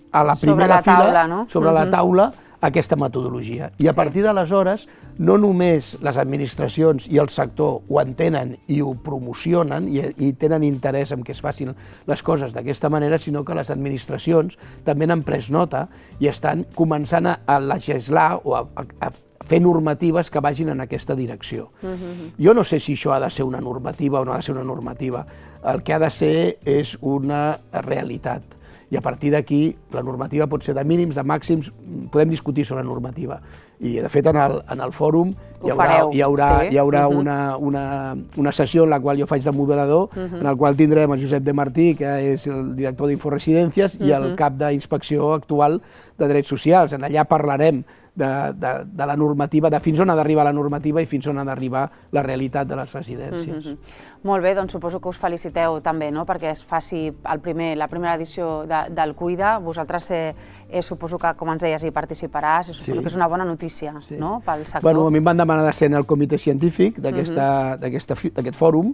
Speaker 5: a la primera
Speaker 1: sobre la taula,
Speaker 5: fila,
Speaker 1: no?
Speaker 5: sobre
Speaker 1: uh-huh.
Speaker 5: la taula, aquesta metodologia. I a sí. partir d'aleshores, no només les administracions i el sector ho entenen i ho promocionen i, i tenen interès en que es facin les coses d'aquesta manera, sinó que les administracions també n'han pres nota i estan començant a, a legislar o a, a, a fer normatives que vagin en aquesta direcció. Uh-huh. Jo no sé si això ha de ser una normativa o no ha de ser una normativa. El que ha de ser és una realitat. i a partir d'aquí la normativa pot ser de mínims, de màxims, podem discutir sobre la normativa. I, de fet, en el, en el fòrum hi haurà, hi haurà, sí. hi haurà uh -huh. una, una, una sessió en la qual jo faig de moderador, uh -huh. en la qual tindrem el Josep de Martí, que és el director d'Inforesidències, uh -huh. i el cap d'inspecció actual de Drets Socials. En allà parlarem de, de, de la normativa, de fins on ha d'arribar la normativa i fins on ha d'arribar la realitat de les residències. Uh -huh.
Speaker 1: Molt bé, doncs suposo que us feliciteu també, no?, perquè es faci el primer, la primera edició de, del Cuida. Vosaltres eh, eh, suposo que, com ens deies, hi participaràs, i suposo sí. que és una bona notícia, sí. no?, pel sector.
Speaker 5: Bueno, a mi em van demanar de ser en el comitè científic d'aquest uh -huh. fòrum.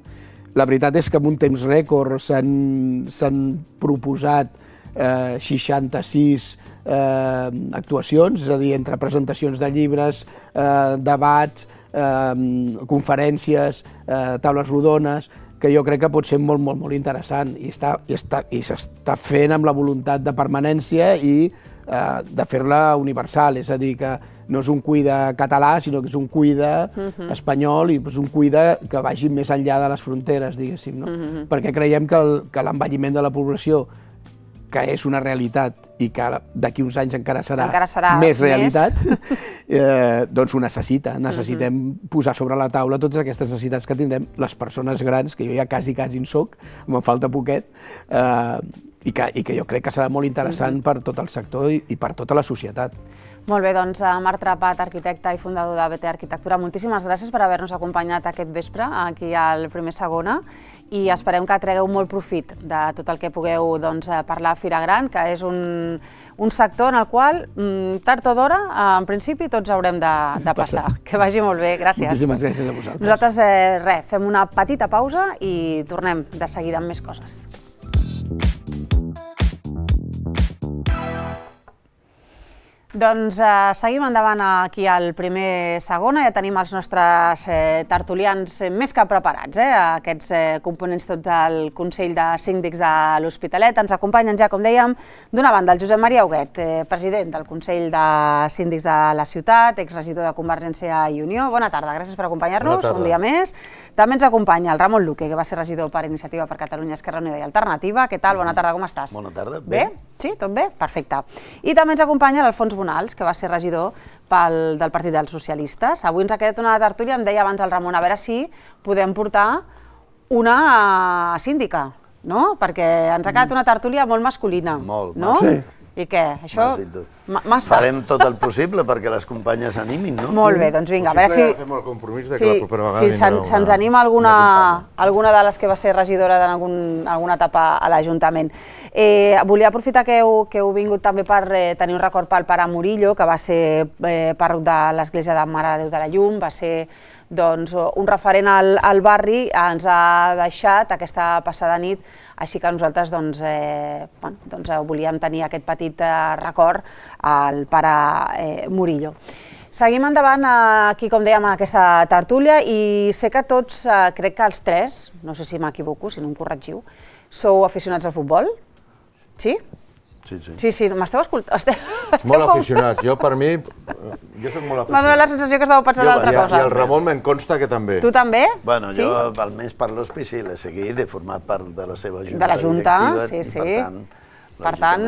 Speaker 5: La veritat és que en un temps rècord s'han proposat eh, seixanta-sis eh, actuacions, és a dir, entre presentacions de llibres, eh, debats, eh, conferències, eh, taules rodones, que jo crec que pot ser molt, molt, molt interessant i està, i està, i s'està fent amb la voluntat de permanència i eh, de fer-la universal, és a dir, que no és un Cuida català, sinó que és un Cuida uh-huh. espanyol i és un Cuida que vagi més enllà de les fronteres, diguéssim, no? Uh-huh. Perquè creiem que l'envelliment de la població, que és una realitat i que d'aquí uns anys encara serà,
Speaker 1: encara serà
Speaker 5: més realitat, eh, doncs ho necessita. Necessitem uh-huh. posar sobre la taula totes aquestes necessitats que tindrem les persones grans, que jo ja quasi, quasi en soc, me'n falta poquet, eh, i, que, i que jo crec que serà molt interessant uh-huh. per tot el sector i, i per tota la societat.
Speaker 1: Molt bé, doncs Marc Trepat, arquitecte i fundador de B T Arquitectura, moltíssimes gràcies per haver-nos acompanyat aquest vespre aquí al Primer Segona i esperem que tregueu molt profit de tot el que pugueu doncs, parlar a Fira Gran, que és un, un sector en el qual, tard o d'hora, en principi, tots haurem de, de passar. Que vagi molt bé, gràcies.
Speaker 5: Moltíssimes gràcies a vosaltres.
Speaker 1: Nosaltres, eh, res, fem una petita pausa i tornem de seguida amb més coses. Doncs eh, seguim endavant aquí al Primer Segona, ja tenim els nostres eh, tertulians eh, més que preparats, eh, aquests eh, components tots del Consell de Síndics de l'Hospitalet. Ens acompanyen ja, com dèiem, d'una banda el Josep Maria Huguet, eh, president del Consell de Síndics de la ciutat, exregidor de Convergència i Unió. Bona tarda, gràcies per acompanyar-nos un dia més. També ens acompanya el Ramon Luque, que va ser regidor per Iniciativa per Catalunya, Esquerra Unida i Alternativa. Què tal? Bona tarda, com estàs?
Speaker 6: Bona tarda.
Speaker 1: Bé? bé? Sí, tot bé? Perfecte. I també ens acompanya l'Alfons Bonals, que va ser regidor pel, del Partit dels Socialistes. Avui ens ha quedat una tertúlia, em deia abans el Ramon, a veure si podem portar una síndica, no? Perquè ens ha quedat una tertúlia molt masculina.
Speaker 6: Molt,
Speaker 1: no?
Speaker 6: sí.
Speaker 1: I què? Això...
Speaker 6: Massa. Farem tot el possible perquè les companyes s'animin, no?
Speaker 1: Molt bé, doncs vinga, a veure si...
Speaker 7: Fem el compromís de que la propera vegada...
Speaker 1: Si se'ns anima alguna de les que va ser regidora en alguna etapa a l'Ajuntament. Volia aprofitar que heu vingut també per tenir un record pel pare Murillo, que va ser pàrroc de l'Església de Mare de Déu de la Llum, va ser un referent al barri, ens ha deixat aquesta passada nit, així que nosaltres volíem tenir aquest petit record al pare Murillo. Seguim endavant aquí, com dèiem, aquesta tertúlia i sé que tots, crec que els tres, no sé si m'equivoco, si no em corregiu, sou aficionats al futbol? Sí?
Speaker 7: Sí, sí.
Speaker 1: Sí, sí, m'esteu escoltant?
Speaker 7: Molt aficionats. Jo, per mi, jo soc molt aficionat.
Speaker 1: M'ha donat la sensació que estàveu pensant en altra cosa.
Speaker 7: I el Ramon me'n consta que també.
Speaker 1: Tu també?
Speaker 6: Bueno, jo, almenys per l'hospici, l'he seguit, he format part de la seva junta
Speaker 1: directiva. De la junta, sí, sí.
Speaker 6: Per tant,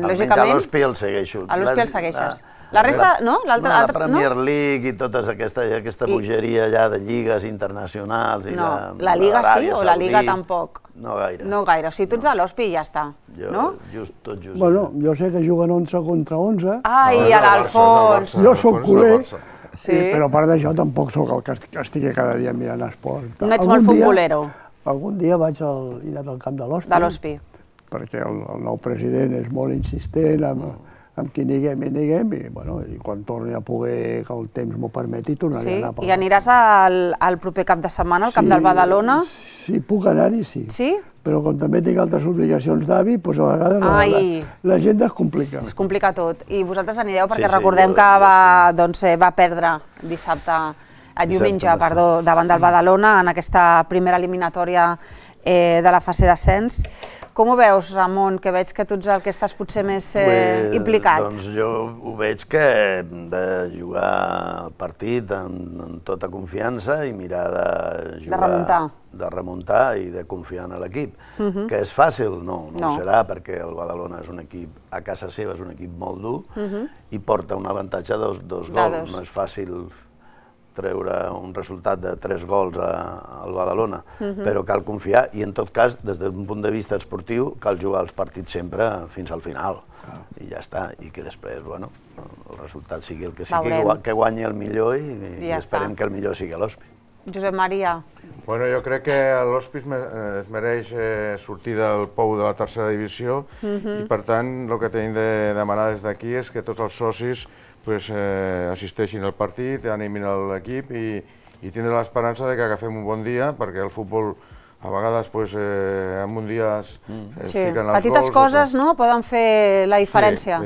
Speaker 6: almenys a l'hospi el segueixo.
Speaker 1: A l'hospi el segueixes. La resta, no?
Speaker 6: La Premier League i tota aquesta bogeria allà de lligues internacionals i la...
Speaker 1: La Liga sí o la Liga tampoc?
Speaker 6: No gaire.
Speaker 1: No gaire, o sigui, tu ets de l'hospi i ja està, no?
Speaker 6: Just, tot just.
Speaker 8: Bueno, jo sé que juguen onze contra onze.
Speaker 1: Ai, a l'Alfons!
Speaker 8: Jo soc culer, però a part d'això tampoc soc el que estigui cada dia mirant esport.
Speaker 1: No ets molt futbolero?
Speaker 8: Algun dia vaig al camp de l'Hospi.
Speaker 1: De l'Hospi.
Speaker 8: Perquè el nou president és molt insistent amb qui niguem i niguem, i quan torni a poder, que el temps m'ho permeti, tornaré a anar.
Speaker 1: I aniràs al proper cap de setmana, al camp del Badalona?
Speaker 8: Sí, puc anar-hi, sí.
Speaker 1: Sí?
Speaker 8: Però com també tinc altres obligacions d'avi, doncs a vegades l'agenda es complica.
Speaker 1: Es complica tot. I vosaltres anireu perquè recordem que va perdre dissabte diumenge, perdó, davant del Badalona en aquesta primera eliminatòria de la fase d'ascens. Com ho veus, Ramon, que veig que tu ets el que estàs potser més implicat?
Speaker 6: Doncs jo ho veig que hem de jugar el partit amb tota confiança i mirar de jugar...
Speaker 1: De remuntar.
Speaker 6: De remuntar i de confiar en l'equip. Que és fàcil? No, no ho serà, perquè el Badalona és un equip, a casa seva és un equip molt dur i porta un avantatge de dos gols. No és fàcil treure un resultat de tres gols al Badalona, però cal confiar i, en tot cas, des d'un punt de vista esportiu, cal jugar els partits sempre fins al final. I ja està, i que després, bueno, el resultat sigui el que sigui, que guanyi el millor i esperem que el millor sigui l'Hospi.
Speaker 1: Josep Maria.
Speaker 7: Bueno, jo crec que l'Hospi es mereix sortir del pou de la tercera divisió i, per tant, el que tenim de demanar des d'aquí és que tots els socis assisteixin al partit, animin l'equip i tindre l'esperança que agafem un bon dia, perquè el futbol a vegades en un dia es fiquen els gols.
Speaker 1: Petites coses poden fer la diferència.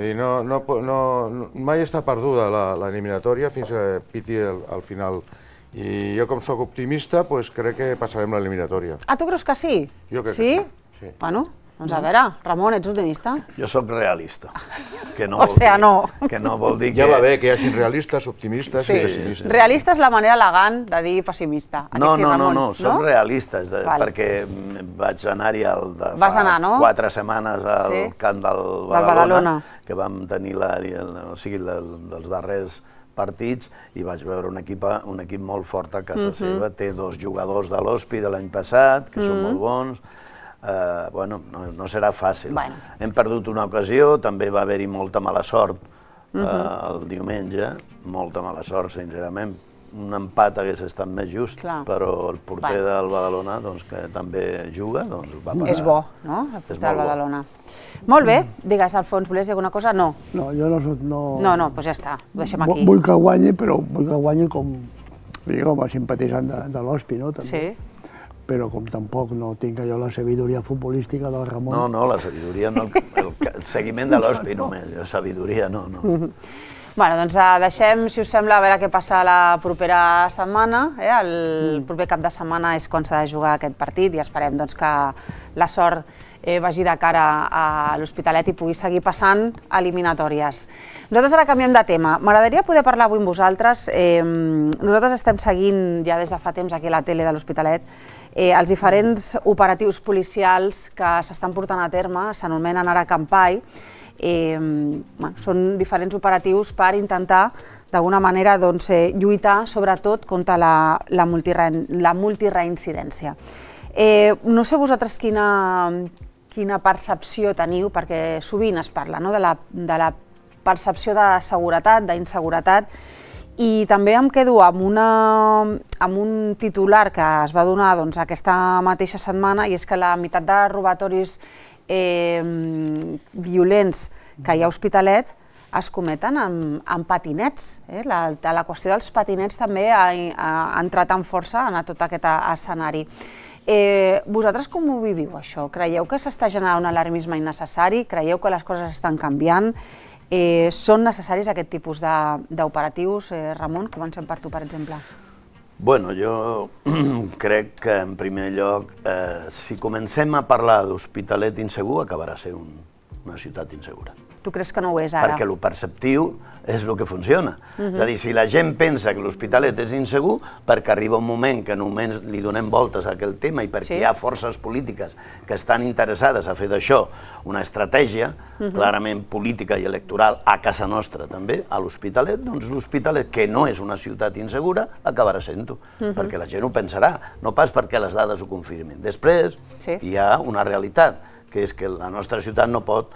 Speaker 7: Mai està perduda l'eliminatòria fins que piti al final. I jo, com soc optimista, crec que passarem l'eliminatòria.
Speaker 1: Ah, tu creus que sí?
Speaker 7: Jo crec que sí.
Speaker 1: Bueno, doncs a veure, Ramon, ets optimista?
Speaker 6: Jo soc realista.
Speaker 1: O sigui, no.
Speaker 6: Que no vol dir que...
Speaker 7: Ja va bé que hi hagin realistes, optimistes i pessimistes.
Speaker 1: Realista és la manera elegant de dir pessimista.
Speaker 6: No, no, no, no, som realistes, perquè vaig anar-hi fa quatre setmanes al camp del Badalona, que vam tenir els darrers partits i vaig veure un equip molt fort a casa seva. Té dos jugadors de l'Hospi de l'any passat, que són molt bons. Bueno, no serà fàcil. Hem perdut una ocasió, també va haver-hi molta mala sort el diumenge, molta mala sort, sincerament. Un empat hagués estat més just, però el porter del Badalona, que també juga, doncs va parar.
Speaker 1: És bo, no?, el porter del Badalona. Molt bé, digues, Alfons, volies dir alguna cosa? No.
Speaker 8: No, jo no soc...
Speaker 1: No, no, doncs ja està, ho deixem aquí.
Speaker 8: Vull que guanyi, però vull que guanyi com a simpatitzant de l'Hospi, no?
Speaker 1: Sí.
Speaker 8: Però com tampoc no tinc allò la sabidoria futbolística del Ramon...
Speaker 6: No, no, la sabidoria no, el seguiment de l'Hospi només, sabidoria no, no.
Speaker 1: Bé, doncs deixem, si us sembla, a veure què passa la propera setmana. El proper cap de setmana és quan s'ha de jugar aquest partit i esperem que la sort vagi de cara a l'Hospitalet i pugui seguir passant eliminatòries. Nosaltres ara canviem de tema. M'agradaria poder parlar avui amb vosaltres. Nosaltres estem seguint ja des de fa temps aquí a la tele de l'Hospitalet els diferents operatius policials que s'estan portant a terme, s'anomenen ara Campai. Són diferents operatius per intentar, d'alguna manera, lluitar sobretot contra la multireincidència. No sé vosaltres quina percepció teniu, perquè sovint es parla de la percepció de seguretat, d'inseguretat, i també em quedo amb un titular que es va donar aquesta mateixa setmana, i és que la meitat de robatoris violents que hi ha a Hospitalet es cometen amb patinets. La qüestió dels patinets també ha entrat amb força en tot aquest escenari. Vosaltres com ho viviu, això? Creieu que s'està generant un alarmisme innecessari? Creieu que les coses estan canviant? Són necessaris aquest tipus d'operatius? Ramon, comencem per tu, per exemple.
Speaker 6: Bueno, jo crec que, en primer lloc, si comencem a parlar d'Hospitalet insegur, acabarà sent una ciutat insegura.
Speaker 1: Tu creus que no ho és ara?
Speaker 6: Perquè el perceptiu és el que funciona. És a dir, si la gent pensa que l'Hospitalet és insegur, perquè arriba un moment que només li donem voltes a aquell tema i perquè hi ha forces polítiques que estan interessades a fer d'això una estratègia clarament política i electoral a casa nostra també, a l'Hospitalet, doncs l'Hospitalet, que no és una ciutat insegura, acabarà sent-ho, perquè la gent ho pensarà, no pas perquè les dades ho confirmin. Després hi ha una realitat, que és que la nostra ciutat no pot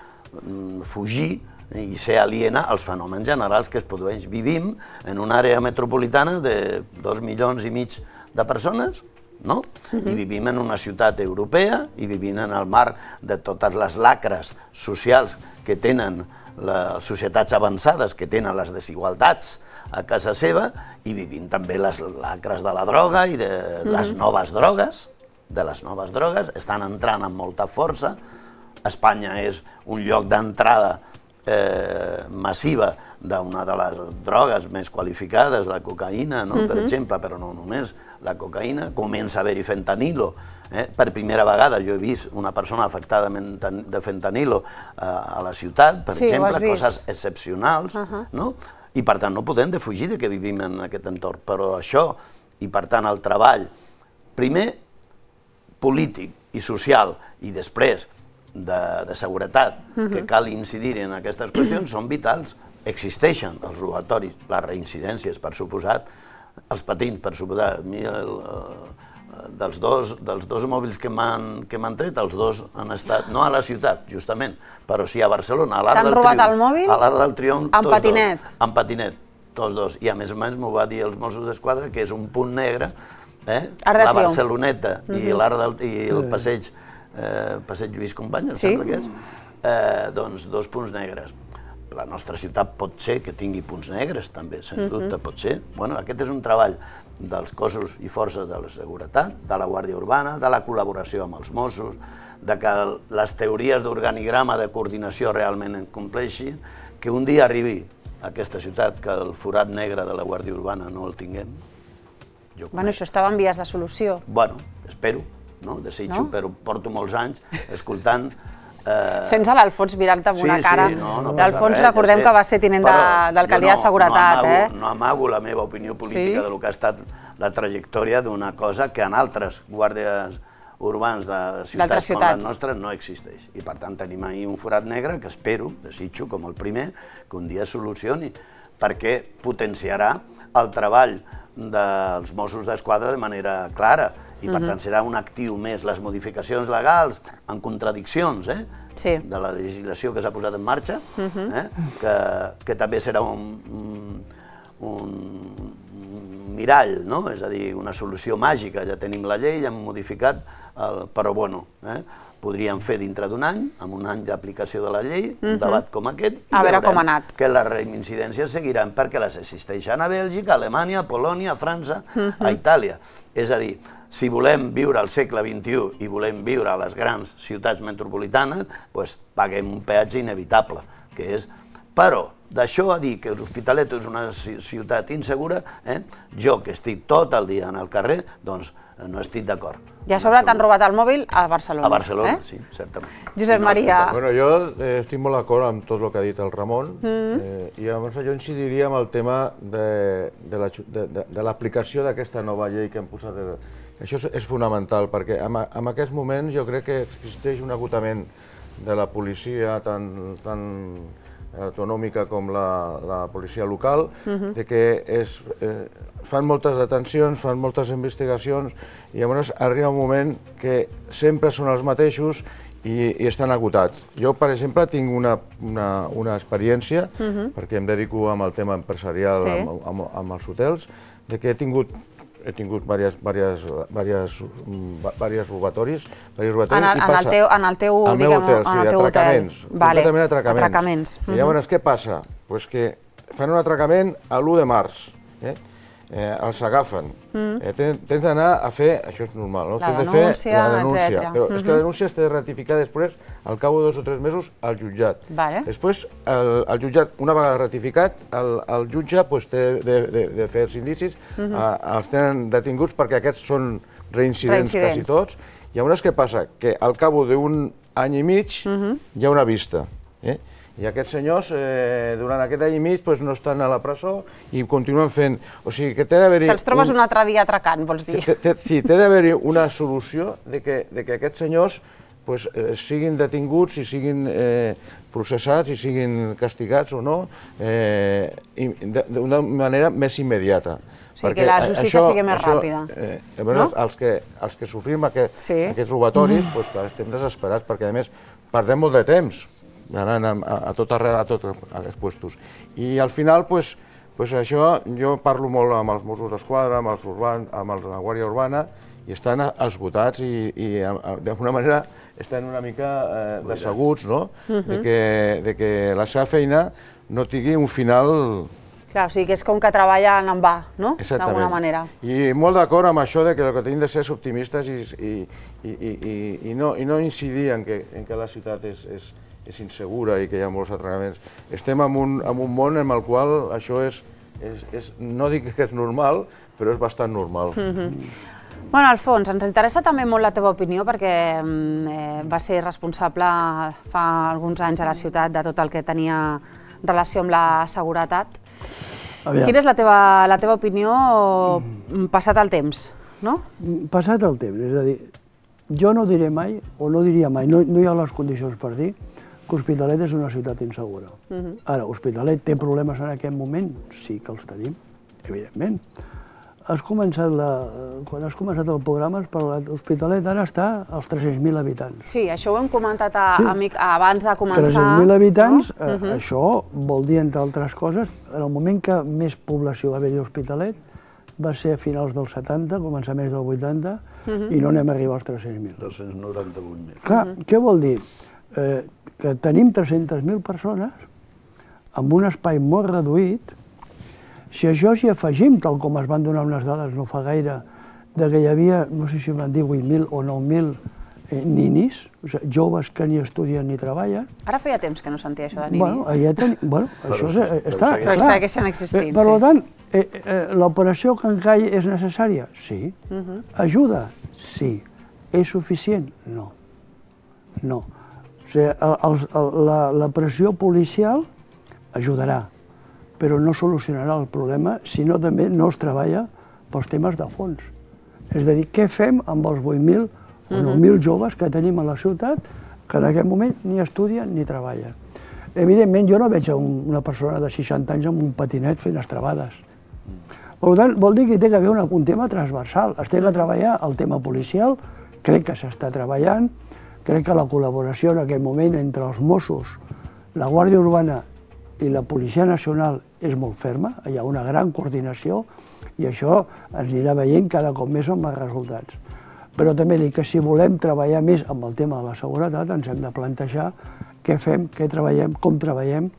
Speaker 6: fugir i ser aliena als fenòmens generals que es produeix. Vivim en una àrea metropolitana de dos milions i mig de persones, no? I vivim en una ciutat europea i vivim en el marc de totes les lacres socials que tenen les societats avançades, que tenen les desigualtats a casa seva, i vivim també les lacres de la droga i de les noves drogues, de les noves drogues, estan entrant amb molta força. Espanya és un lloc d'entrada massiva d'una de les drogues més qualificades, la cocaïna, per exemple, però no només la cocaïna, comença a haver-hi fentanilo. Per primera vegada jo he vist una persona afectada de fentanilo a la ciutat, per exemple, coses excepcionals, i per tant no podem defugir que vivim en aquest entorn, però això, i per tant el treball, primer polític i social, i després de seguretat, que cal incidir en aquestes qüestions, són vitals. Existeixen els robatoris, les reincidències, per suposat, els patins, per suposat. A mi, dels dos mòbils que m'han tret, els dos han estat, no a la ciutat, justament, però sí a Barcelona.
Speaker 1: T'han robat el mòbil?
Speaker 6: A l'Arc del Triomf,
Speaker 1: amb patinet?
Speaker 6: Amb patinet, tots dos. I a més a més m'ho va dir els Mossos d'Esquadra, que és un punt negre, la Barceloneta i el passeig Passeig Lluís Companys, em sembla que és, doncs dos punts negres. La nostra ciutat pot ser que tingui punts negres, també, sens dubte, pot ser. Bueno, aquest és un treball dels cossos i forces de la seguretat, de la Guàrdia Urbana, de la col·laboració amb els Mossos, de que les teories d'organigrama de coordinació realment en compleixin, que un dia arribi a aquesta ciutat, que el forat negre de la Guàrdia Urbana no el tinguem.
Speaker 1: Bueno, això estava en vies de solució.
Speaker 6: Bueno, espero. No? Desitjo, però porto molts anys escoltant...
Speaker 1: Fent-se a l'Alfons mirant-te amb una cara. L'Alfons recordem que va ser tinent d'alcaldia de seguretat, eh?
Speaker 6: No amago la meva opinió política del que ha estat la trajectòria d'una cosa que en altres guàrdies urbans de ciutats com la nostra no existeix. I per tant tenim ahir un forat negre que espero, desitjo, com el primer, que un dia es solucioni, perquè potenciarà el treball dels Mossos d'Esquadra de manera clara. I per tant serà un actiu més. Les modificacions legals en contradiccions de la legislació que s'ha posat en marxa, que també serà un mirall, és a dir, una solució màgica. Ja tenim la llei, hem modificat, però bueno, podríem fer dintre d'un any, amb un any d'aplicació de la llei, un debat com aquest, i veurem que les reincidències seguiran perquè les existeixen a Bèlgica, a Alemanya, a Polònia, a França, a Itàlia. És a dir, si volem viure al segle vint-i-u i volem viure a les grans ciutats metropolitanes, doncs paguem un peatge inevitable, que és... Però, d'això a dir que l'Hospitalet és una ciutat insegura, jo, que estic tot el dia en el carrer, doncs no estic d'acord.
Speaker 1: I a sobre t'han robat el mòbil a Barcelona.
Speaker 6: A Barcelona, sí, certament.
Speaker 1: Josep Maria...
Speaker 7: Bueno, jo estic molt d'acord amb tot el que ha dit el Ramon, i llavors jo incidiria en el tema de l'aplicació d'aquesta nova llei que hem posat. Això és fonamental, perquè en aquests moments jo crec que existeix un agotament de la policia tan autonòmica com la policia local, de que fan moltes detencions, fan moltes investigacions, i llavors arriba un moment que sempre són els mateixos i estan agotats. Jo, per exemple, tinc una experiència, perquè em dedico amb el tema empresarial, amb els hotels, de que he tingut he tingut diversos robatoris.
Speaker 1: En el teu
Speaker 7: hotel? Al meu hotel, sí, atracaments. Completament atracaments. I llavors, què passa? Doncs que fan un atracament a l'u de març. Els agafen. Tens d'anar a fer, això és normal, no?
Speaker 1: La denúncia, etcètera.
Speaker 7: Però és que la denúncia es té de ratificar després, al cap de dos o tres mesos, al jutjat. Després, el jutjat, una vegada ratificat, el jutge té de fer els indicis, els tenen detinguts perquè aquests són reincidents quasi tots. Llavors, què passa? Que al cap d'un any i mig hi ha una vista. I aquests senyors, durant aquest any i mig, no estan a la presó i continuen fent... O sigui, que té d'haver-hi...
Speaker 1: Que els trobes un altre dia atracant, vols dir?
Speaker 7: Sí, té d'haver-hi una solució de que aquests senyors siguin detinguts i siguin processats i siguin castigats o no, d'una manera més immediata.
Speaker 1: O sigui, que la justícia sigui més ràpida.
Speaker 7: Els que sofrim aquests robatoris, estem desesperats, perquè a més perdem molt de temps anant a tot arreu, a tots aquests puestos. I al final, això, jo parlo molt amb els Mossos d'Esquadra, amb la Guàrdia Urbana, i estan esgotats i d'alguna manera estan una mica decebuts, no? De que la seva feina no tingui un final...
Speaker 1: Clar, o sigui que és com que treballen en va, no? D'alguna manera.
Speaker 7: I molt d'acord amb això de que el que tenim de ser és optimistes i no incidir en que la ciutat és és insegura i que hi ha molts atracaments. Estem en un, en un món en el qual això és, és, és, no dic que és normal, però és bastant normal.
Speaker 1: Mm-hmm. Bueno, Alfons, ens interessa també molt la teva opinió perquè eh, va ser responsable fa alguns anys a la ciutat de tot el que tenia relació amb la seguretat. Aviam. Quina és la teva, la teva opinió passat el temps, no?
Speaker 8: Passat el temps, és a dir, jo no diré mai, o no diria mai, no, no hi ha les condicions per dir que Hospitalet és una ciutat insegura. Uh-huh. Ara, Hospitalet té problemes en aquest moment? Sí que els tenim, evidentment. Has començat la, quan has començat el programa, l'Hospitalet ara està als tres-cents mil habitants.
Speaker 1: Sí, això ho hem comentat a, sí. amic, abans de començar.
Speaker 8: tres-cents mil habitants, no? eh,
Speaker 1: uh-huh.
Speaker 8: Això vol dir, entre altres coses, en el moment que més població va haver-hi a Hospitalet, va ser a finals dels setanta, començaments del vuitanta, uh-huh. i no anem a arribar als tres-cents mil.
Speaker 6: dos-cents noranta-vuit mil.
Speaker 8: Clar, uh-huh. Què vol dir? Eh, que tenim tres-centes mil persones amb un espai molt reduït. Si a això s'hi afegim, tal com es van donar unes dades no fa gaire, de que hi havia, no sé si van dir vuit mil o nou mil eh, ninis, o sigui, joves que ni estudien ni treballen.
Speaker 1: Ara feia temps que no sentia això de nini.
Speaker 8: Bueno, ja ten... bueno això
Speaker 6: però,
Speaker 8: és, està
Speaker 6: però
Speaker 1: clar. Però segueixen existint.
Speaker 8: Eh, per
Speaker 1: sí.
Speaker 8: tant, eh, eh, l'operació Cancall és necessària? Sí. Uh-huh. Ajuda? Sí. És suficient? No. No. O sigui, el, el, el, la, la pressió policial ajudarà, però no solucionarà el problema si no també no es treballa pels temes de fons. És a dir, què fem amb els vuit mil o nou mil joves que tenim a la ciutat que en aquest moment ni estudien ni treballen? Evidentment, jo no veig una persona de seixanta anys amb un patinet fent estrabades. Per tant, vol dir que hi té que haver una, un tema transversal. Es té que treballar el tema policial, crec que s'està treballant, crec que la col·laboració en aquest moment entre els Mossos, la Guàrdia Urbana i la Policia Nacional és molt ferma, hi ha una gran coordinació i això ens anirà veient cada cop més amb els resultats. Però també dic que si volem treballar més amb el tema de la seguretat ens hem de plantejar què fem, què treballem, com treballem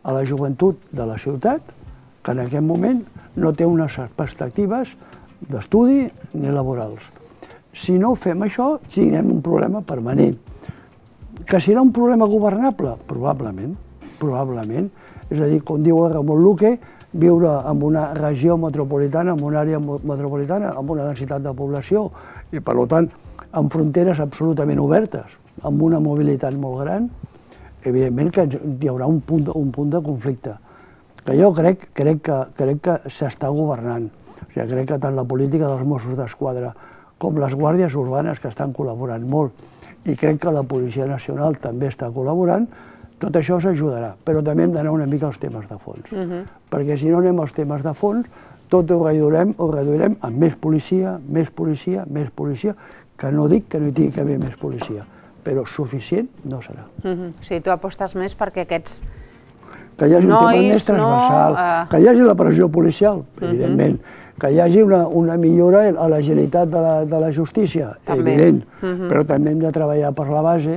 Speaker 8: a la joventut de la ciutat, que en aquest moment no té unes perspectives d'estudi ni laborals. Si no fem això, tindrem un problema permanent. Que serà un problema governable? Probablement. Probablement. És a dir, com diu el Ramon Luque, viure en una regió metropolitana, en una àrea metropolitana, amb una densitat de població i, per tant, amb fronteres absolutament obertes, amb una mobilitat molt gran, evidentment que hi haurà un punt, un punt de conflicte. Que jo crec, crec que, crec que s'està governant. O sigui, crec que tant la política dels Mossos d'Esquadra com les guàrdies urbanes, que estan col·laborant molt, i crec que la Policia Nacional també està col·laborant, tot això s'ajudarà, però també hem d'anar una mica als temes de fons. Uh-huh. Perquè si no anem als temes de fons, tot ho reduirem, ho reduirem amb més policia, més policia, més policia, que no dic que no hi tingui que haver més policia, però suficient no serà.
Speaker 1: Uh-huh. O sigui, tu apostes més perquè aquests
Speaker 8: que hi hagi
Speaker 1: nois,
Speaker 8: un tema més transversal,
Speaker 1: no, uh...
Speaker 8: que hi hagi la pressió policial, evidentment, uh-huh. que hi hagi una, una millora a l'agilitat de, la, de la justícia, també. Evident, uh-huh. però també hem de treballar per la base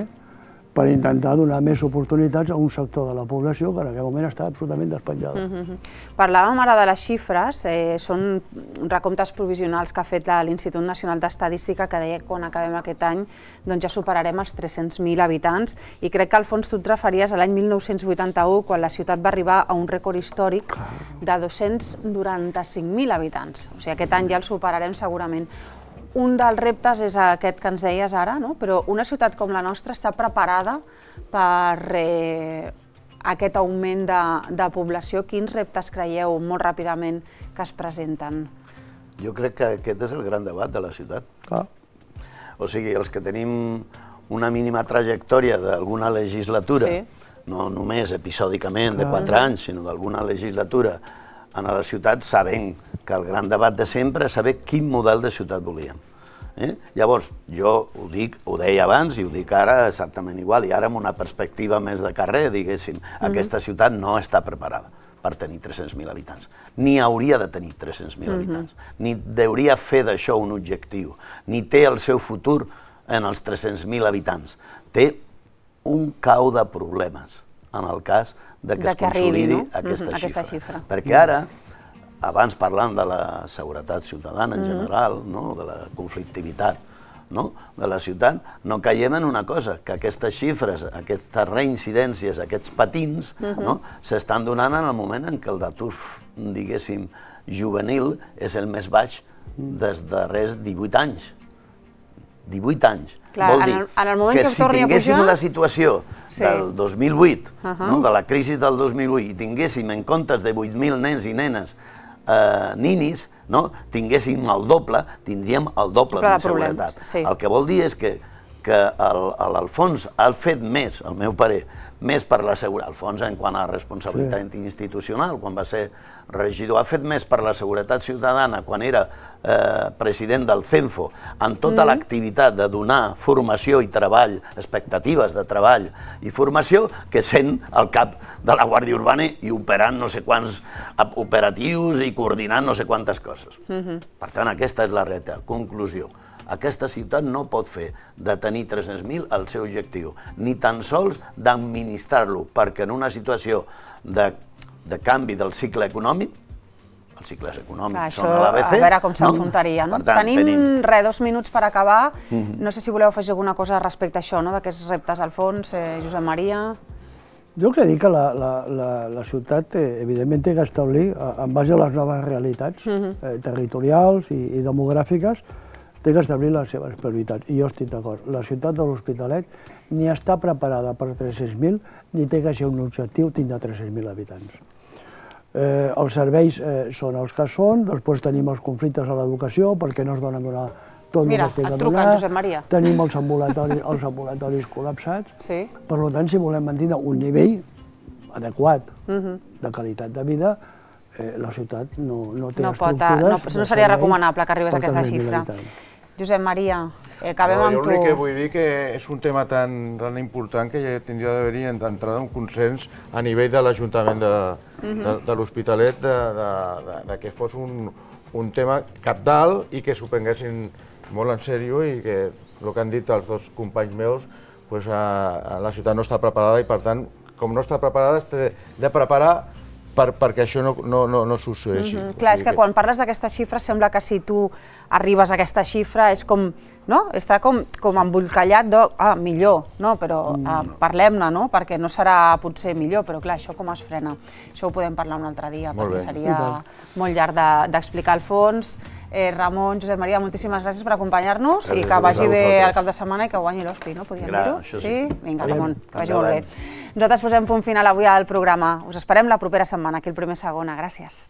Speaker 8: per intentar donar més oportunitats a un sector de la població que en aquest moment està absolutament despenjada.
Speaker 1: Uh-huh. Parlàvem ara de les xifres, eh, són recomptes provisionals que ha fet l'Institut Nacional d'Estadística que deia que quan acabem aquest any doncs ja superarem els tres-cents mil habitants i crec que al fons tu et referies a l'any mil nou-cents vuitanta-u quan la ciutat va arribar a un rècord històric de dos-cents noranta-cinc mil habitants. O sigui, aquest any ja el superarem segurament. Un dels reptes és aquest que ens deies ara, no? Però una ciutat com la nostra està preparada per eh, aquest augment de, de població. Quins reptes creieu molt ràpidament que es presenten?
Speaker 6: Jo crec que aquest és el gran debat de la ciutat.
Speaker 8: Ah.
Speaker 6: O sigui, els que tenim una mínima trajectòria d'alguna legislatura, sí. no només episòdicament de quatre ah. anys, sinó d'alguna legislatura, en la ciutat sabem que el gran debat de sempre és saber quin model de ciutat volíem. Eh? Llavors, jo ho dic, ho deia abans i ho dic ara exactament igual, i ara amb una perspectiva més de carrer, diguéssim, mm-hmm. aquesta ciutat no està preparada per tenir tres-cents mil habitants, ni hauria de tenir tres-cents mil mm-hmm. habitants, ni hauria fer d'això un objectiu, ni té el seu futur en els tres-cents mil habitants. Té un cau de problemes en el cas de que
Speaker 1: de
Speaker 6: es
Speaker 1: que
Speaker 6: consolidi
Speaker 1: arribi, no?
Speaker 6: aquesta,
Speaker 1: mm-hmm,
Speaker 6: xifra.
Speaker 1: aquesta xifra.
Speaker 6: Perquè ara, abans parlant de la seguretat ciutadana en general, no? de la conflictivitat de la ciutat, no caiem en una cosa, que aquestes xifres, aquestes reincidències, aquests patins, s'estan donant en el moment en què el d'atur, diguéssim, juvenil és el més baix des de res divuit anys. divuit anys. Vol dir que si tinguéssim la situació del dos mil vuit, de la crisi del dos mil vuit, i tinguéssim en comptes de vuit mil nens i nenes ninis, tinguéssim el doble, tindríem el doble d'inseguretat. El que vol dir és que l'Alfons ha fet més, al meu parer, més per la seguretat, Alfons en quant a responsabilitat institucional, quan va ser regidor, ha fet més per la seguretat ciutadana quan era president del CENFO, en tota l'activitat de donar formació i treball, expectatives de treball i formació, que sent el cap de la Guàrdia Urbana i operant no sé quants operatius i coordinant no sé quantes coses. Per tant, aquesta és la realitat. Conclusió. Aquesta ciutat no pot fer de tenir tres-cents mil el seu objectiu, ni tan sols d'administrar-lo, perquè en una situació de canvi del cicle econòmic, els cicles econòmics són a l'A B C...
Speaker 1: A veure com s'enfrontarien. Tenim, res, dos minuts per acabar. No sé si voleu afegir alguna cosa respecte a això, d'aquests reptes, Alfons, Josep Maria...
Speaker 8: Jo el que dic que la ciutat, evidentment, té que establir, en base a les noves realitats territorials i demogràfiques, té que establir les seves prioritats, i jo estic d'acord. La ciutat de l'Hospitalet ni està preparada per tres-cents mil, ni té que ser un objectiu tindre tres-cents mil habitants. Els serveis són els que són, després tenim els conflictes a l'educació, perquè no es donen a donar tot el que es té que donar. Tenim els ambulatoris col·lapsats. Per tant, si volem mantenir un nivell adequat de qualitat de vida, la ciutat no té estructures...
Speaker 1: No seria recomanable que arribés a aquesta xifra. Josep Maria, acabem amb tu.
Speaker 7: Jo l'únic que vull dir que és un tema tan important que ja tindria d'haver-hi d'entrada un consens a nivell de l'Ajuntament de l'Hospitalet que fos un tema cabdal i que s'ho prenguessin molt en sèrio i que, el que han dit els dos companys meus, la ciutat no està preparada i, per tant, com no està preparada, s'ha de preparar perquè això no succeeixi.
Speaker 1: Clar, és que quan parles d'aquesta xifra sembla que si tu arribes a aquesta xifra és com, no? Està com embolcallat de, ah, millor, no? Però parlem-ne, no? Perquè no serà potser millor, però clar, això com es frena? Això ho podem parlar un altre dia, perquè seria molt llarg d'explicar al fons. Ramon, Josep Maria, moltíssimes gràcies per acompanyar-nos i que vagi bé el cap de setmana i que guanyi l'Hospi, no? Podríem dir-ho? Sí? Vinga, Ramon, que vagi molt bé. Nosaltres posem punt final avui al programa. Us esperem la propera setmana, aquí al Primer Segona. Gràcies.